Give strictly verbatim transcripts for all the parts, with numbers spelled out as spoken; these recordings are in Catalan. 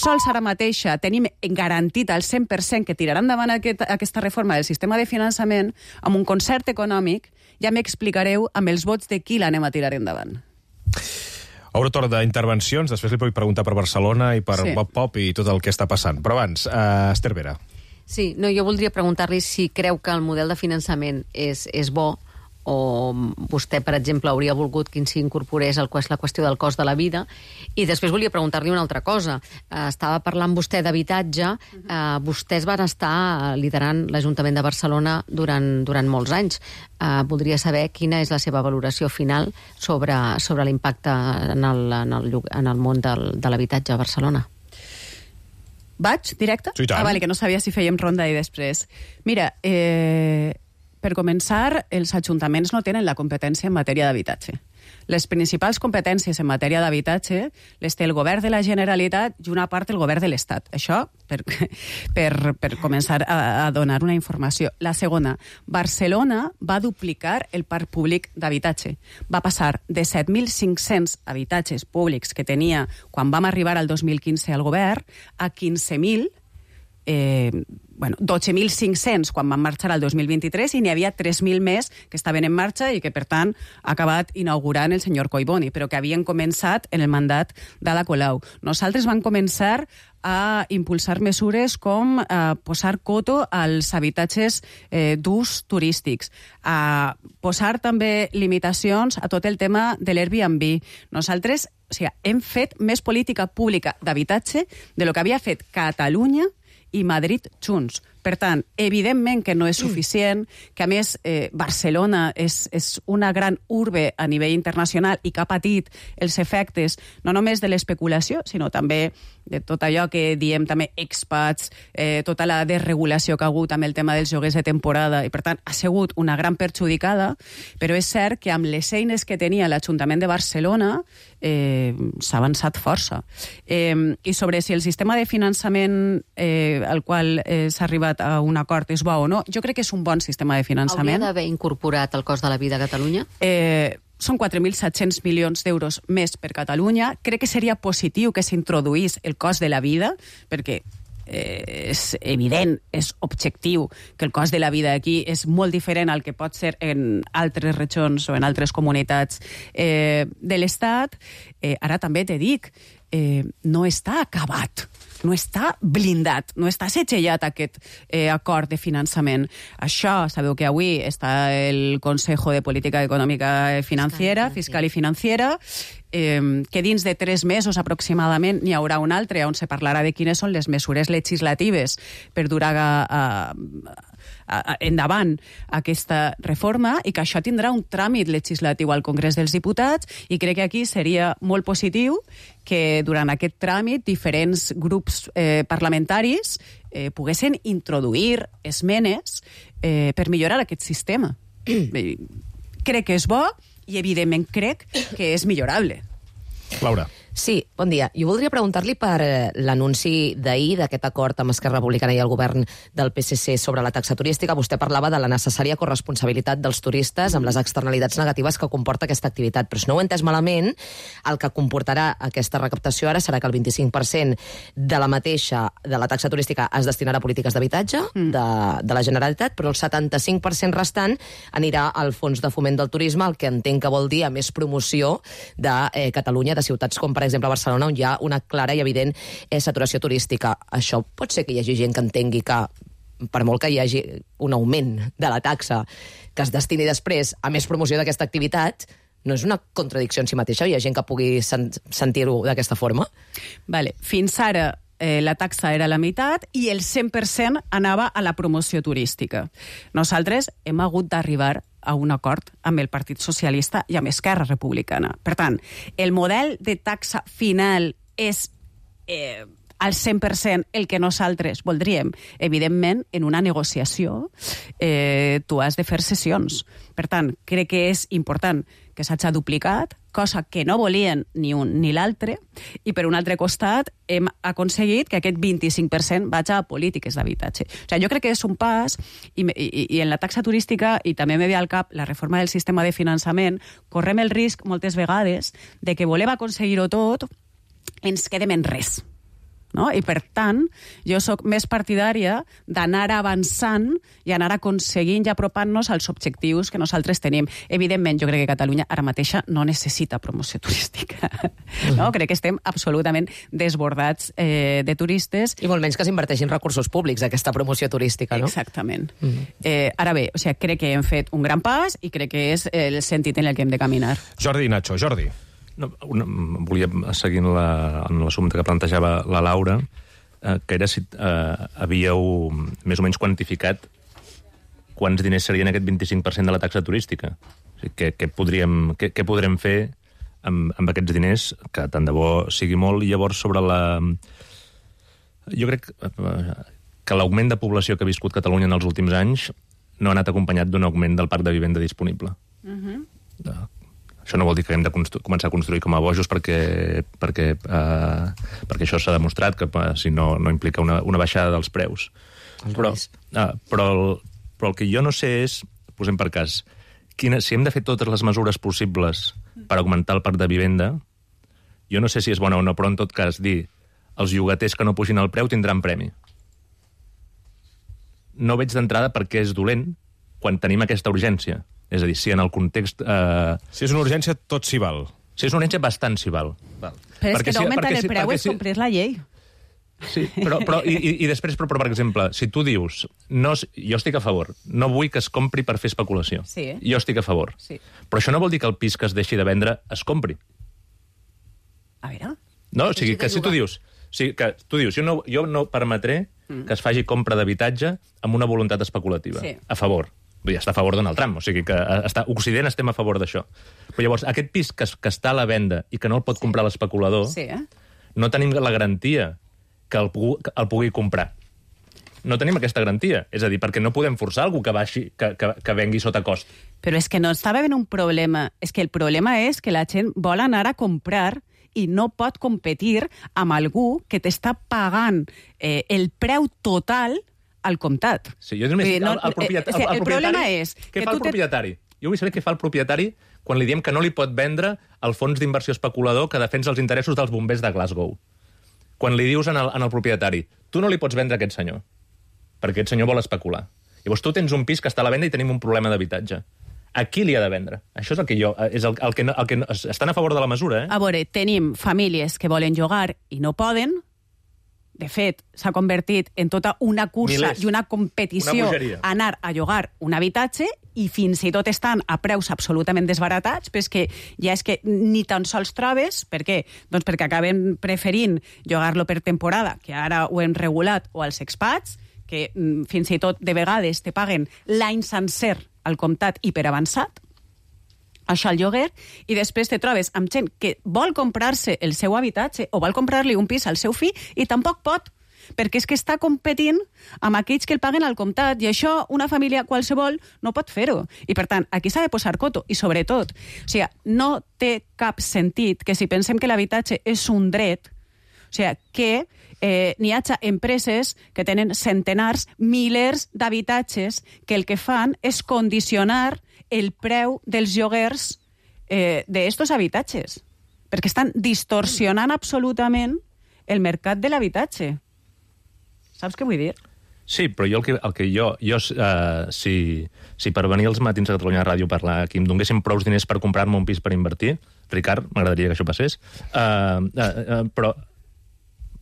sols ara mateixa tenim garantit al cent per cent que tiraran endavant aquest, aquesta reforma del sistema de finançament amb un concert econòmic, ja m'explicareu amb els vots de qui l'anem a tirar endavant. Obre torn d'intervencions, després li puc preguntar per Barcelona i per sí. Bob Pop i tot el que està passant. Però abans, uh, Esther Vera. Sí, no, jo voldria preguntar-li si creu que el model de finançament és, és bo, o vostè, per exemple, hauria volgut que s'incorporés la qüestió del cost de la vida. I després volia preguntar-li una altra cosa. Estava parlant vostè d'habitatge. Uh, vostès van estar liderant l'Ajuntament de Barcelona durant, durant molts anys. Uh, voldria saber quina és la seva valoració final sobre, sobre l'impacte en el, en el, en el món del, de l'habitatge a Barcelona. Vaig, directe? Sí, ah, vale, que no sabia si fèiem ronda i després. Mira, eh... per començar, els ajuntaments no tenen la competència en matèria d'habitatge. Les principals competències en matèria d'habitatge les té el govern de la Generalitat i una part del govern de l'Estat. Això per, per, per començar a, a donar una informació. La segona, Barcelona va duplicar el parc públic d'habitatge. Va passar de set mil cinc-cents habitatges públics que tenia quan vam arribar al dos mil quinze al govern a quinze mil, eh, bueno, dotze mil cinc-cents quan van marxar al dos mil vint-i-tres i n'hi havia tres mil més que estaven en marxa i que, per tant, ha acabat inaugurant el senyor Collboni, però que havien començat en el mandat d'Ada Colau. Nosaltres vam començar a impulsar mesures com eh, posar coto als habitatges eh, d'ús turístics, a posar també limitacions a tot el tema de l'Airbnb. Nosaltres, o sigui, hem fet més política pública d'habitatge de lo que havia fet Catalunya i Madrid junts. Per tant, evidentment que no és suficient, que a més eh, Barcelona és, és una gran urbe a nivell internacional i que ha patit els efectes no només de l'especulació, sinó també de tot allò que diem també expats, eh, tota la desregulació que ha hagut amb el tema dels lloguers de temporada, i per tant ha sigut una gran perjudicada, però és cert que amb les eines que tenia l'Ajuntament de Barcelona eh, s'ha avançat força. Eh, I sobre si el sistema de finançament eh, al qual eh, s'ha arribat a un acord és bo o no, jo crec que és un bon sistema de finançament. Hauria d'haver incorporat el cost de la vida a Catalunya? Eh, són quatre mil set-cents milions d'euros més per Catalunya. Crec que seria positiu que s'introduís el cost de la vida, perquè eh, és evident, és objectiu que el cost de la vida aquí és molt diferent al que pot ser en altres regions o en altres comunitats eh, de l'Estat. Eh, ara també te dic, eh, no està acabat, no està blindat, no està segellat aquest eh, acord de finançament. Això, sabeu que avui està el Consejo de Política Econòmica Financiera, Fiscal i Financiera, eh, que dins de tres mesos aproximadament n'hi haurà un altre on se parlarà de quines són les mesures legislatives per dur a, a, a, endavant aquesta reforma, i que això tindrà un tràmit legislatiu al Congrés dels Diputats, i crec que aquí seria molt positiu que durant aquest tràmit diferents grups eh, parlamentaris eh, poguessin introduir esmenes eh, per millorar aquest sistema. Crec que és bo i, evidentment, crec que és millorable. Laura. Sí, bon dia. Jo voldria preguntar-li per eh, l'anunci d'ahir d'aquest acord amb Esquerra Republicana i el govern del P S C sobre la taxa turística. Vostè parlava de la necessària corresponsabilitat dels turistes amb les externalitats negatives que comporta aquesta activitat. Però si no ho he entès malament, el que comportarà aquesta recaptació ara serà que el vint-i-cinc per cent de la mateixa, de la taxa turística, es destinarà a polítiques d'habitatge mm. de, de la Generalitat, però el setanta-cinc per cent restant anirà al Fons de Foment del Turisme, el que entenc que vol dir a més promoció de eh, Catalunya, de ciutats com, per exemple, Barcelona, on hi ha una clara i evident eh, saturació turística. Això pot ser que hi hagi gent que entengui que, per molt que hi hagi un augment de la taxa que es destini després a més promoció d'aquesta activitat, no és una contradicció en si mateixa? Hi ha gent que pugui sen- sentir-ho d'aquesta forma? Vale. Fins ara eh, la taxa era la meitat i el cent per cent anava a la promoció turística. Nosaltres hem hagut d'arribar a un acord amb el Partit Socialista i amb Esquerra Republicana. Per tant, el model de taxa final és eh, al cent per cent el que nosaltres voldríem. Evidentment, en una negociació eh, tu has de fer sessions. Per tant, crec que és important que s'hagi duplicat, cosa que no volien ni un ni l'altre, i per un altre costat hem aconseguit que aquest vint-i-cinc per cent vagi a polítiques d'habitatge. O sigui, jo crec que és un pas, i, i, i en la taxa turística, i també me ve al cap la reforma del sistema de finançament, correm el risc moltes vegades de que volem aconseguir-ho tot, ens quedem en res. no? I, per tant, jo sóc més partidària d'anar avançant i anar aconseguint i apropant-nos als objectius que nosaltres tenim. Evidentment, jo crec que Catalunya ara mateixa no necessita promoció turística. No? Crec que estem absolutament desbordats eh, de turistes. I molt menys que s'inverteixin recursos públics, aquesta promoció turística, no? Exactament. Mm-hmm. eh, ara bé, o sigui, crec que hem fet un gran pas i crec que és el sentit en el que hem de caminar. Jordi i Nacho. Jordi. No, una, volia seguir en la, en l'assumpte que plantejava la Laura, eh, que era si eh, havíeu més o menys quantificat quants diners serien aquest vint-i-cinc per cent de la taxa turística. O sigui, què, què, podríem, què, què podrem fer amb, amb aquests diners, que tant de bo sigui molt, i llavors sobre la... Jo crec que l'augment de població que ha viscut Catalunya en els últims anys no ha anat acompanyat d'un augment del parc de vivenda disponible. Uh-huh. de, Això no vol dir que hem de començar a construir com a bojos perquè, perquè, eh, perquè això s'ha demostrat, que eh, si no, no implica una, una baixada dels preus. Però, eh, però, el, però el que jo no sé és, posem per cas, quina, si hem de fer totes les mesures possibles per augmentar el parc de vivenda, jo no sé si és bona o no, però en tot cas dir els llogaters que no pugin el preu tindran premi. No veig d'entrada per què és dolent quan tenim aquesta urgència. És a dir, si en el context... Eh... Si és una urgència, tot s'hi val. Si és una urgència, bastant s'hi val. val. Però és perquè que no augmentar si, el preu és si... complir la llei. Sí, però, però i, i després, però, però, per exemple, si tu dius, no, jo estic a favor, no vull que es compri per fer especulació. Sí. Jo estic a favor. Sí. Però això no vol dir que el pis que es deixi de vendre es compri. A veure... No, o sigui, que si tu dius... O sigui, que tu dius, jo no, jo no permetré mm. que es faci compra d'habitatge amb una voluntat especulativa. Sí. A favor. Ja està a favor Donald Trump, o sigui que està, Occident estem a favor d'això. Però llavors, aquest pis que, que està a la venda i que no el pot comprar l'especulador, sí, eh? no tenim la garantia que el, que el pugui comprar. No tenim aquesta garantia. És a dir, perquè no podem forçar algú que, baixi, que, que, que vengui sota cost. Però és que no estava ben un problema. És que el problema és que la gent vol anar a comprar i no pot competir amb algú que t'està pagant eh, el preu total al comptat. Sí, jo només... No, el, el, propietari, el, el, el problema és... Què fa el propietari? Te... Jo vull saber què fa el propietari quan li diem que no li pot vendre el fons d'inversió especulador que defensa els interessos dels bombers de Glasgow. Quan li dius en el, en el propietari, tu no li pots vendre a aquest senyor, perquè aquest senyor vol especular. Llavors tu tens un pis que està a la venda i tenim un problema d'habitatge. A qui li ha de vendre? Això és el que jo... És el, el que, no, el que no, estan a favor de la mesura, eh? A veure, tenim famílies que volen llogar i no poden. De fet, s'ha convertit en tota una cursa Milers. i una competició una anar a llogar un habitatge i fins i tot estan a preus absolutament desbaratats, però és que ja és que ni tan sols trobes. Per què? Doncs perquè acaben preferint llogar-lo per temporada, que ara ho hem regulat, o als expats, que mm, fins i tot de vegades te paguen l'any sencer al comptat i per avançat, això al lloguer, i després te trobes amb gent que vol comprar-se el seu habitatge o vol comprar-li un pis al seu fill i tampoc pot, perquè és que està competint amb aquells que el paguen al comptat, i això una família qualsevol no pot fer-ho. I per tant, aquí s'ha de posar coto, i sobretot, o sigui, no té cap sentit que si pensem que l'habitatge és un dret, o sigui, que eh, n'hi hagi empreses que tenen centenars, milers d'habitatges que el que fan és condicionar el preu dels lloguers eh, d'estos habitatges, perquè estan distorsionant absolutament el mercat de l'habitatge. Saps què vull dir? Sí, però jo el que, el que jo... jo uh, si, si per venir als matins a Catalunya Ràdio a parlar aquí em donguessin prou diners per comprar-me un pis per invertir, Ricard, m'agradaria que això passés, uh, uh, uh, però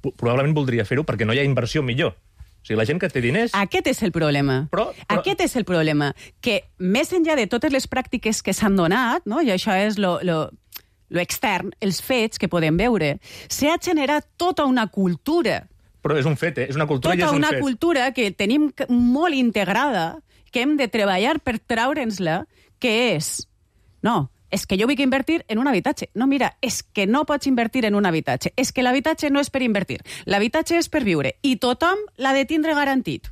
probablement voldria fer-ho perquè no hi ha inversió millor. O sigui, la gent que té diners... Aquest és el problema. Però, però... Aquest és el problema. Que més enllà de totes les pràctiques que s'han donat, no? I això és lo, lo, lo extern, els fets que podem veure, s'ha generat tota una cultura. Però és un fet, eh? És una cultura tota i és un una fet. cultura que tenim molt integrada, que hem de treballar per traure'ns-la, que és... No, és que jo vull invertir en un habitatge. No, mira, és que no pots invertir en un habitatge. És que l'habitatge no és per invertir. L'habitatge és per viure. I tothom l'ha de tindre garantit.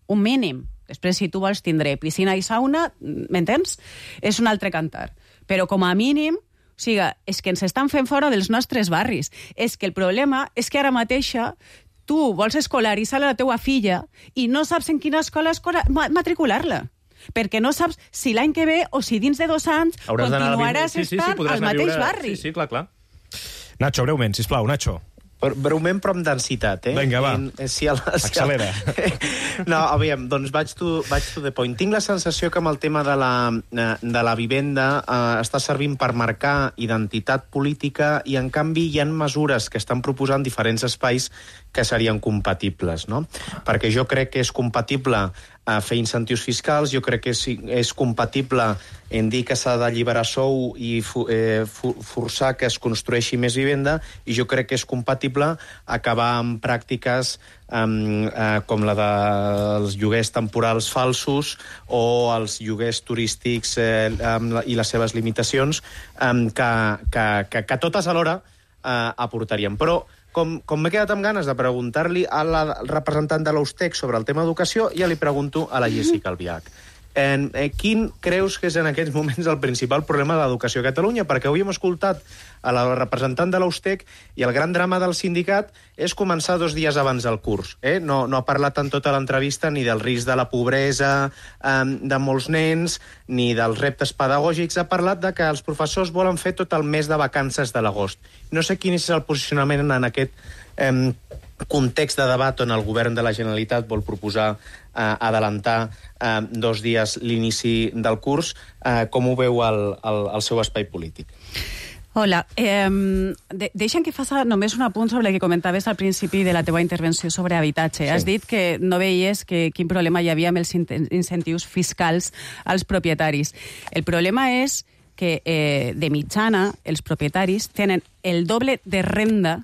Un mínim. Després, si tu vols tindre piscina i sauna, m'entens? És un altre cantar. Però com a mínim, o sigui, és que ens estan fent fora dels nostres barris. És que el problema és que ara mateixa tu vols escolaritzar la teua filla i no saps en quina escola escola matricular-la. Perquè no saps si l'any que ve o si dins de dos anys hauràs continuaràs sí, sí, sí, estant al mateix viure... barri. Sí, sí, clar, clar. Nacho, breument, sisplau, Nacho. Breument, però amb densitat, eh? Vinga, va. I, si el, si Accelera. El... No, aviam, doncs vaig to, vaig to the point. Tinc la sensació que amb el tema de la, de la vivenda eh, està servint per marcar identitat política i, en canvi, hi ha mesures que estan proposant diferents espais que serien compatibles, no? Perquè jo crec que és compatible a fer incentius fiscals, jo crec que és, és compatible en dir que s'ha d'alliberar sou i eh, forçar que es construeixi més vivenda, i jo crec que és compatible acabar amb pràctiques um, eh, com la dels lloguers temporals falsos o els lloguers turístics eh, amb la, i les seves limitacions, um, que, que, que, que totes alhora eh, aportarien. Però Com, com m'he quedat amb ganes de preguntar-li a la representant de l'Austec sobre el tema educació, ja li pregunto a la Jéssica Albiach. En, eh, quin creus que és en aquests moments el principal problema de l'educació a Catalunya? Perquè avui hem escoltat a la representant de l'Austec i el gran drama del sindicat és començar dos dies abans del curs. Eh? No, no ha parlat en tota l'entrevista ni del risc de la pobresa eh, de molts nens, ni dels reptes pedagògics. Ha parlat de que els professors volen fer tot el mes de vacances de l'agost. No sé quin és el posicionament en aquest eh, context de debat on el govern de la Generalitat vol proposar eh, adelantar eh, dos dies l'inici del curs. Eh, com ho veu el, el, el seu espai polític? Hola, eh, de, deixa'm que faci només un apunt sobre el que comentaves al principi de la teva intervenció sobre habitatge. Sí. Has dit que no veies que, quin problema hi havia amb els incentius fiscals als propietaris. El problema és que, eh, de mitjana, els propietaris tenen el doble de renda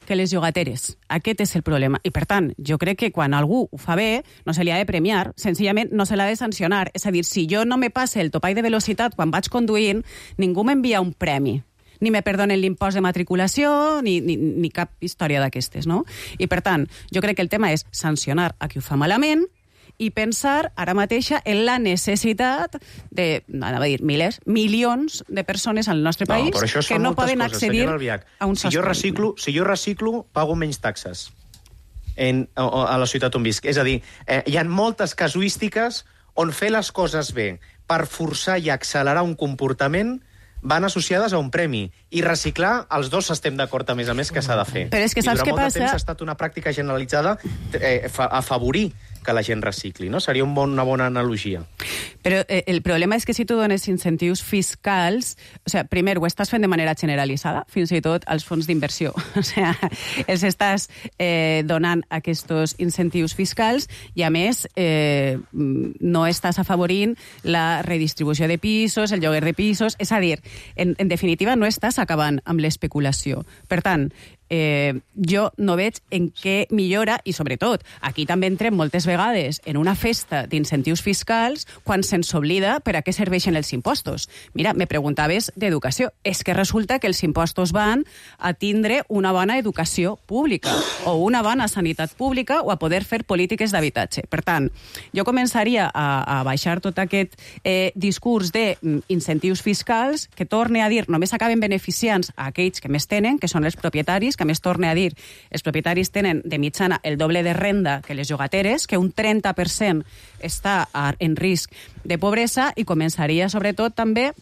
que les llogateres. Aquest és el problema. I, per tant, jo crec que quan algú ho fa bé, no se li ha de premiar, senzillament no se l'ha de sancionar. És a dir, si jo no me passe el topall de velocitat quan vaig conduint, ningú m'envia un premi. Ni me perdonen l'impost de matriculació, ni, ni, ni cap història d'aquestes, no? I, per tant, jo crec que el tema és sancionar a qui ho fa malament i pensar ara mateixa en la necessitat de, anava a dir, milers, milions de persones al nostre país no, que no poden coses, accedir a un si jo reciclo, si jo reciclo, pago menys taxes en, a, a la ciutat on visc. És a dir, eh, hi ha moltes casuístiques on fer les coses bé per forçar i accelerar un comportament van associades a un premi. I reciclar, els dos estem d'acord, a més a més, que s'ha de fer. Però és que saps què passa? I durant molt de temps ha estat una pràctica generalitzada eh, afavorir que la gent recicli, no? Seria un bon, una bona analogia. Però eh, el problema és que si tu dones incentius fiscals, o sigui, primer, ho estàs fent de manera generalitzada, fins i tot als fons d'inversió. O sigui, els estàs eh, donant aquests incentius fiscals i, a més, eh, no estàs afavorint la redistribució de pisos, el lloguer de pisos. És a dir, en, en definitiva, no estàs acabant amb l'especulació. Per tant, Eh, jo no veig en què millora, i sobretot, aquí també entrem moltes vegades en una festa d'incentius fiscals quan se'ns oblida per a què serveixen els impostos. Mira, me preguntaves d'educació. És que resulta que els impostos van a tindre una bona educació pública o una bona sanitat pública o a poder fer polítiques d'habitatge. Per tant, jo començaria a, a baixar tot aquest eh, discurs d'incentius fiscals que, torne a dir, només acaben beneficiant a aquells que més tenen, que són els propietaris, que a més torne a dir, els propietaris tenen de mitjana el doble de renda que les llogateres, que un trenta per cent està en risc de pobresa, i començaria sobretot també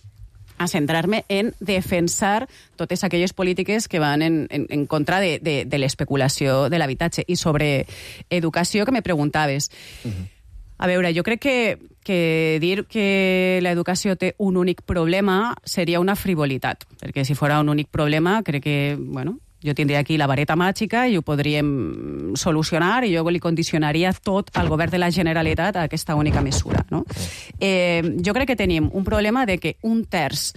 a centrar-me en defensar totes aquelles polítiques que van en, en, en contra de, de, de l'especulació de l'habitatge. I sobre educació, que me preguntaves. Uh-huh. A veure, jo crec que, que dir que l'educació té un únic problema seria una frivolitat, perquè si fora un únic problema, crec que, bueno, jo tindria aquí la vareta màgica i ho podríem solucionar, i jo li condicionaria tot al govern de la Generalitat a aquesta única mesura, no? Eh, jo crec que tenim un problema de que un terç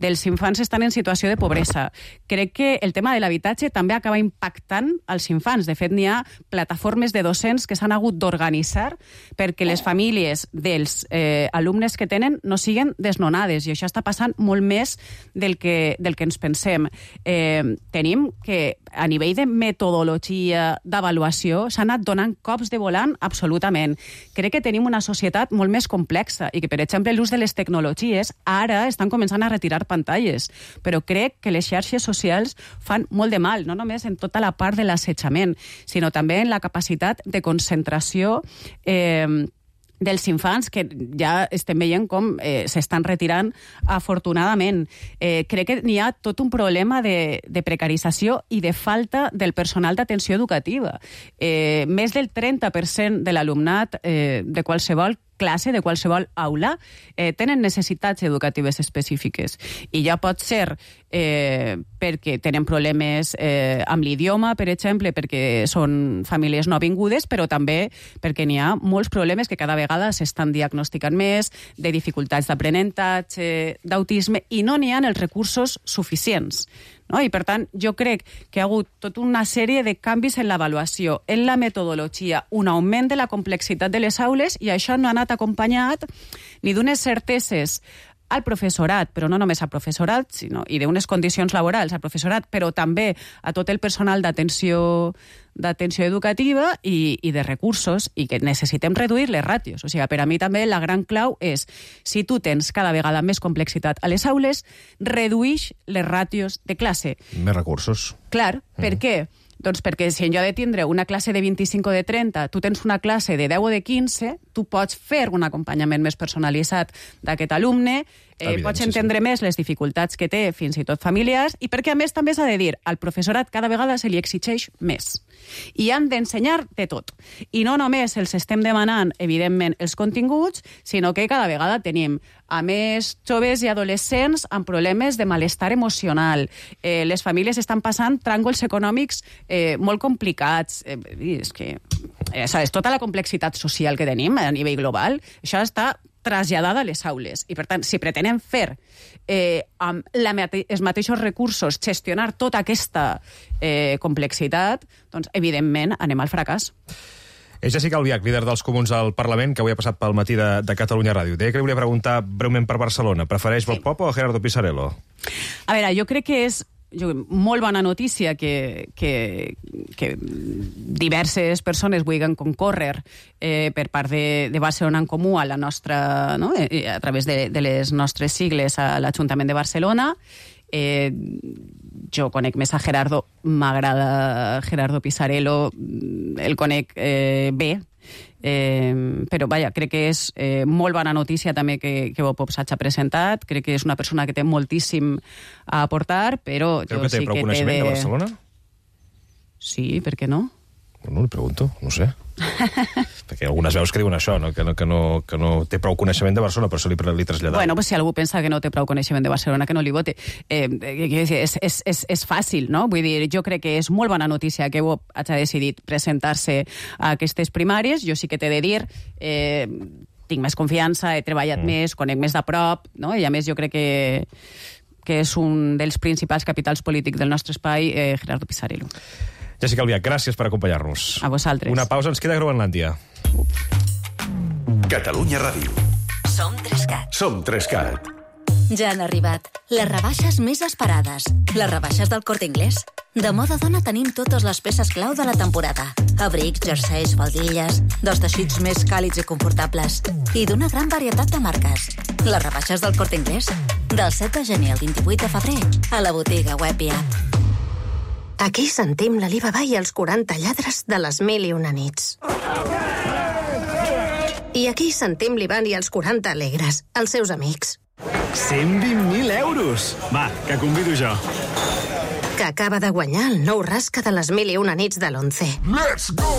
dels infants estan en situació de pobresa. Crec que el tema de l'habitatge també acaba impactant als infants. De fet, n'hi ha plataformes de docents que s'han hagut d'organitzar perquè les famílies dels eh, alumnes que tenen no siguen desnonades, i això està passant molt més del que, del que ens pensem. Eh, tenim que a nivell de metodologia d'avaluació s'han anat donant cops de volant absolutament. Crec que tenim una societat molt més complexa i que, per exemple, l'ús de les tecnologies ara estan començant a retirar pantalles, però crec que les xarxes socials fan molt de mal, no només en tota la part de l'assetjament, sinó també en la capacitat de concentració eh, dels infants, que ja estem veient com eh, s'estan retirant afortunadament. Eh, crec que n'hi ha tot un problema de, de precarització i de falta del personal d'atenció educativa. Eh, més del trenta per cent de l'alumnat eh, de qualsevol classe, de qualsevol aula, eh, tenen necessitats educatives específiques. I ja pot ser eh, perquè tenen problemes eh, amb l'idioma, per exemple, perquè són famílies no vingudes, però també perquè n'hi ha molts problemes que cada vegada s'estan diagnosticant més, de dificultats d'aprenentatge, d'autisme, i no n'hi ha els recursos suficients. No? I, per tant, jo crec que hi ha hagut tota una sèrie de canvis en l'avaluació, en la metodologia, un augment de la complexitat de les aules, i això no ha anat acompanyat ni d'unes certeses al professorat, però no només al professorat, sinó, i d'unes condicions laborals al professorat, però també a tot el personal d'atenció d'atenció educativa i, i de recursos, i que necessitem reduir les ràtios. O sigui, per a mi també la gran clau és, si tu tens cada vegada més complexitat a les aules, reduïx les ràtios de classe. Més recursos. Clar, mm. per què? Doncs perquè si en lloc de tindre una classe de vint-i-cinc o de trenta, tu tens una classe de deu o de quinze, tu pots fer un acompanyament més personalitzat d'aquest alumne, eh, pots entendre sí. més les dificultats que té, fins i tot familiars, i perquè a més també s'ha de dir, al professorat cada vegada se li exigeix més. I han d'ensenyar de tot. I no només els estem demanant, evidentment, els continguts, sinó que cada vegada tenim a més joves i adolescents amb problemes de malestar emocional. Eh, les famílies estan passant tràngols econòmics eh, molt complicats. Eh, és que eh, és tota la complexitat social que tenim a nivell global. Això està traslladada a les aules. I, per tant, si pretenem fer eh, amb la mate els mateixos recursos gestionar tota aquesta eh, complexitat, doncs, evidentment, anem al fracàs. És Jessica Albiach, líder dels Comuns al Parlament, que avui ha passat pel matí de, de Catalunya Ràdio. Deia que li volia preguntar breument per Barcelona. Prefereix Bob Pop o Gerardo Pisarello? A veure, jo crec que és jo, molt bona notícia que, que, que diverses persones vulguin concórrer eh, per part de, de Barcelona en Comú a la nostra, no? eh, a través de, de les nostres sigles a l'Ajuntament de Barcelona. Eh, jo conec més a Gerardo, m'agrada Gerardo Pisarello, el conec eh, bé, eh, però vaja, crec que és eh, molt bona notícia també que, que Bob Pop s'hagi presentat, crec que és una persona que té moltíssim a aportar, però creu jo que té sí prou que coneixement té de... de Barcelona? Sí, per què no? Bueno, li pregunto, no sé. Perquè algunes veus que diuen això, no? Que, no, que, no, que no té prou coneixement de Barcelona, per això li, li traslladava. Bueno, pues si algú pensa que no té prou coneixement de Barcelona, que no li vote. Eh, és, és, és, és fàcil, no? Vull dir, jo crec que és molt bona notícia que Bob hagi decidit presentar-se a aquestes primàries. Jo sí que t'he de dir... Eh, tinc més confiança, he treballat mm. més, conec més de prop, no? I a més jo crec que, que és un dels principals capitals polítics del nostre espai, eh, Gerardo Pisarello. Jessica Albiach, gràcies per acompanyar-nos. A vosaltres. Una pausa, ens queda Groenlàndia. Catalunya Ràdio. Som Trescat. Som Trescat. Ja han arribat les rebaixes més esperades. Les rebaixes del Corte Inglés. De moda dona tenim totes les peces clau de la temporada. Abrics, jerseis, faldilles, dels teixits més càlids i confortables i d'una gran varietat de marques. Les rebaixes del Corte Inglés. Del set de gener al vint-i-vuit de febrer a la botiga web i app. Aquí sentim l'Alibaba i els quaranta lladres de les mil i una nits. I aquí sentim l'Ivan i els quaranta alegres, els seus amics. cent vint mil euros! Va, que convido jo. Que acaba de guanyar el nou rasca de les mil i una nits de l'Once. Let's go!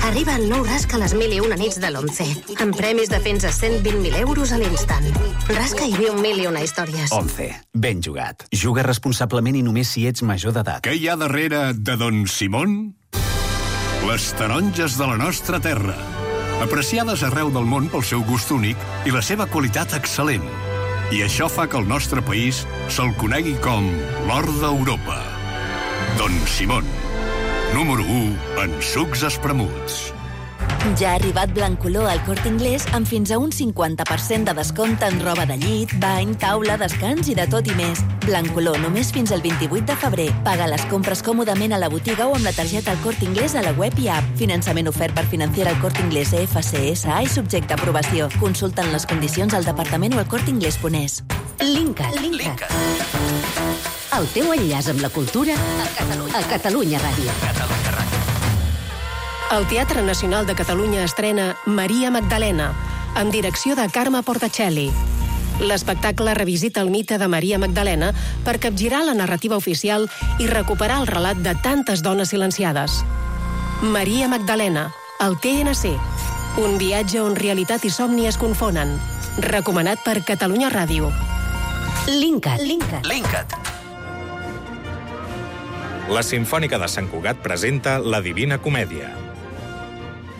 Arriba el nou rasca a les mil i una nits de l'Once, amb premis de fins a cent vint mil euros a l'instant. Rasca i viu mil i una històries. Once. Ben jugat. Juga responsablement i només si ets major d'edat. Què hi ha darrere de Don Simón? Les taronges de la nostra terra. Apreciades arreu del món pel seu gust únic i la seva qualitat excel·lent. I això fa que el nostre país se'l conegui com l'or d'Europa. Don Simón, número u en sucs espremuts. Ja ha arribat Blancolor al Corte Inglés amb fins a un cinquanta per cent de descompte en roba de llit, bany, taula, descans i de tot i més. Blancolor només fins al vint-i-vuit de febrer. Paga les compres còmodament a la botiga o amb la targeta al Corte Inglés a la web i app. Finançament ofert per Financiera al Corte Inglés E F C S A i subjecte a aprovació. Consulten les condicions al departament o al corteinglés punt es. Linkat. Linkat. El teu enllaç amb la cultura a Catalunya, a Catalunya Ràdio. Catalunya Ràdio. El Teatre Nacional de Catalunya estrena Maria Magdalena, amb direcció de Carme Portacelli. L'espectacle revisita el mite de Maria Magdalena per capgirar la narrativa oficial i recuperar el relat de tantes dones silenciades. Maria Magdalena, al T N C. Un viatge on realitat i somni es confonen. Recomanat per Catalunya Ràdio. Linkat. Linkat. Linkat. La Simfònica de Sant Cugat presenta La Divina Comèdia.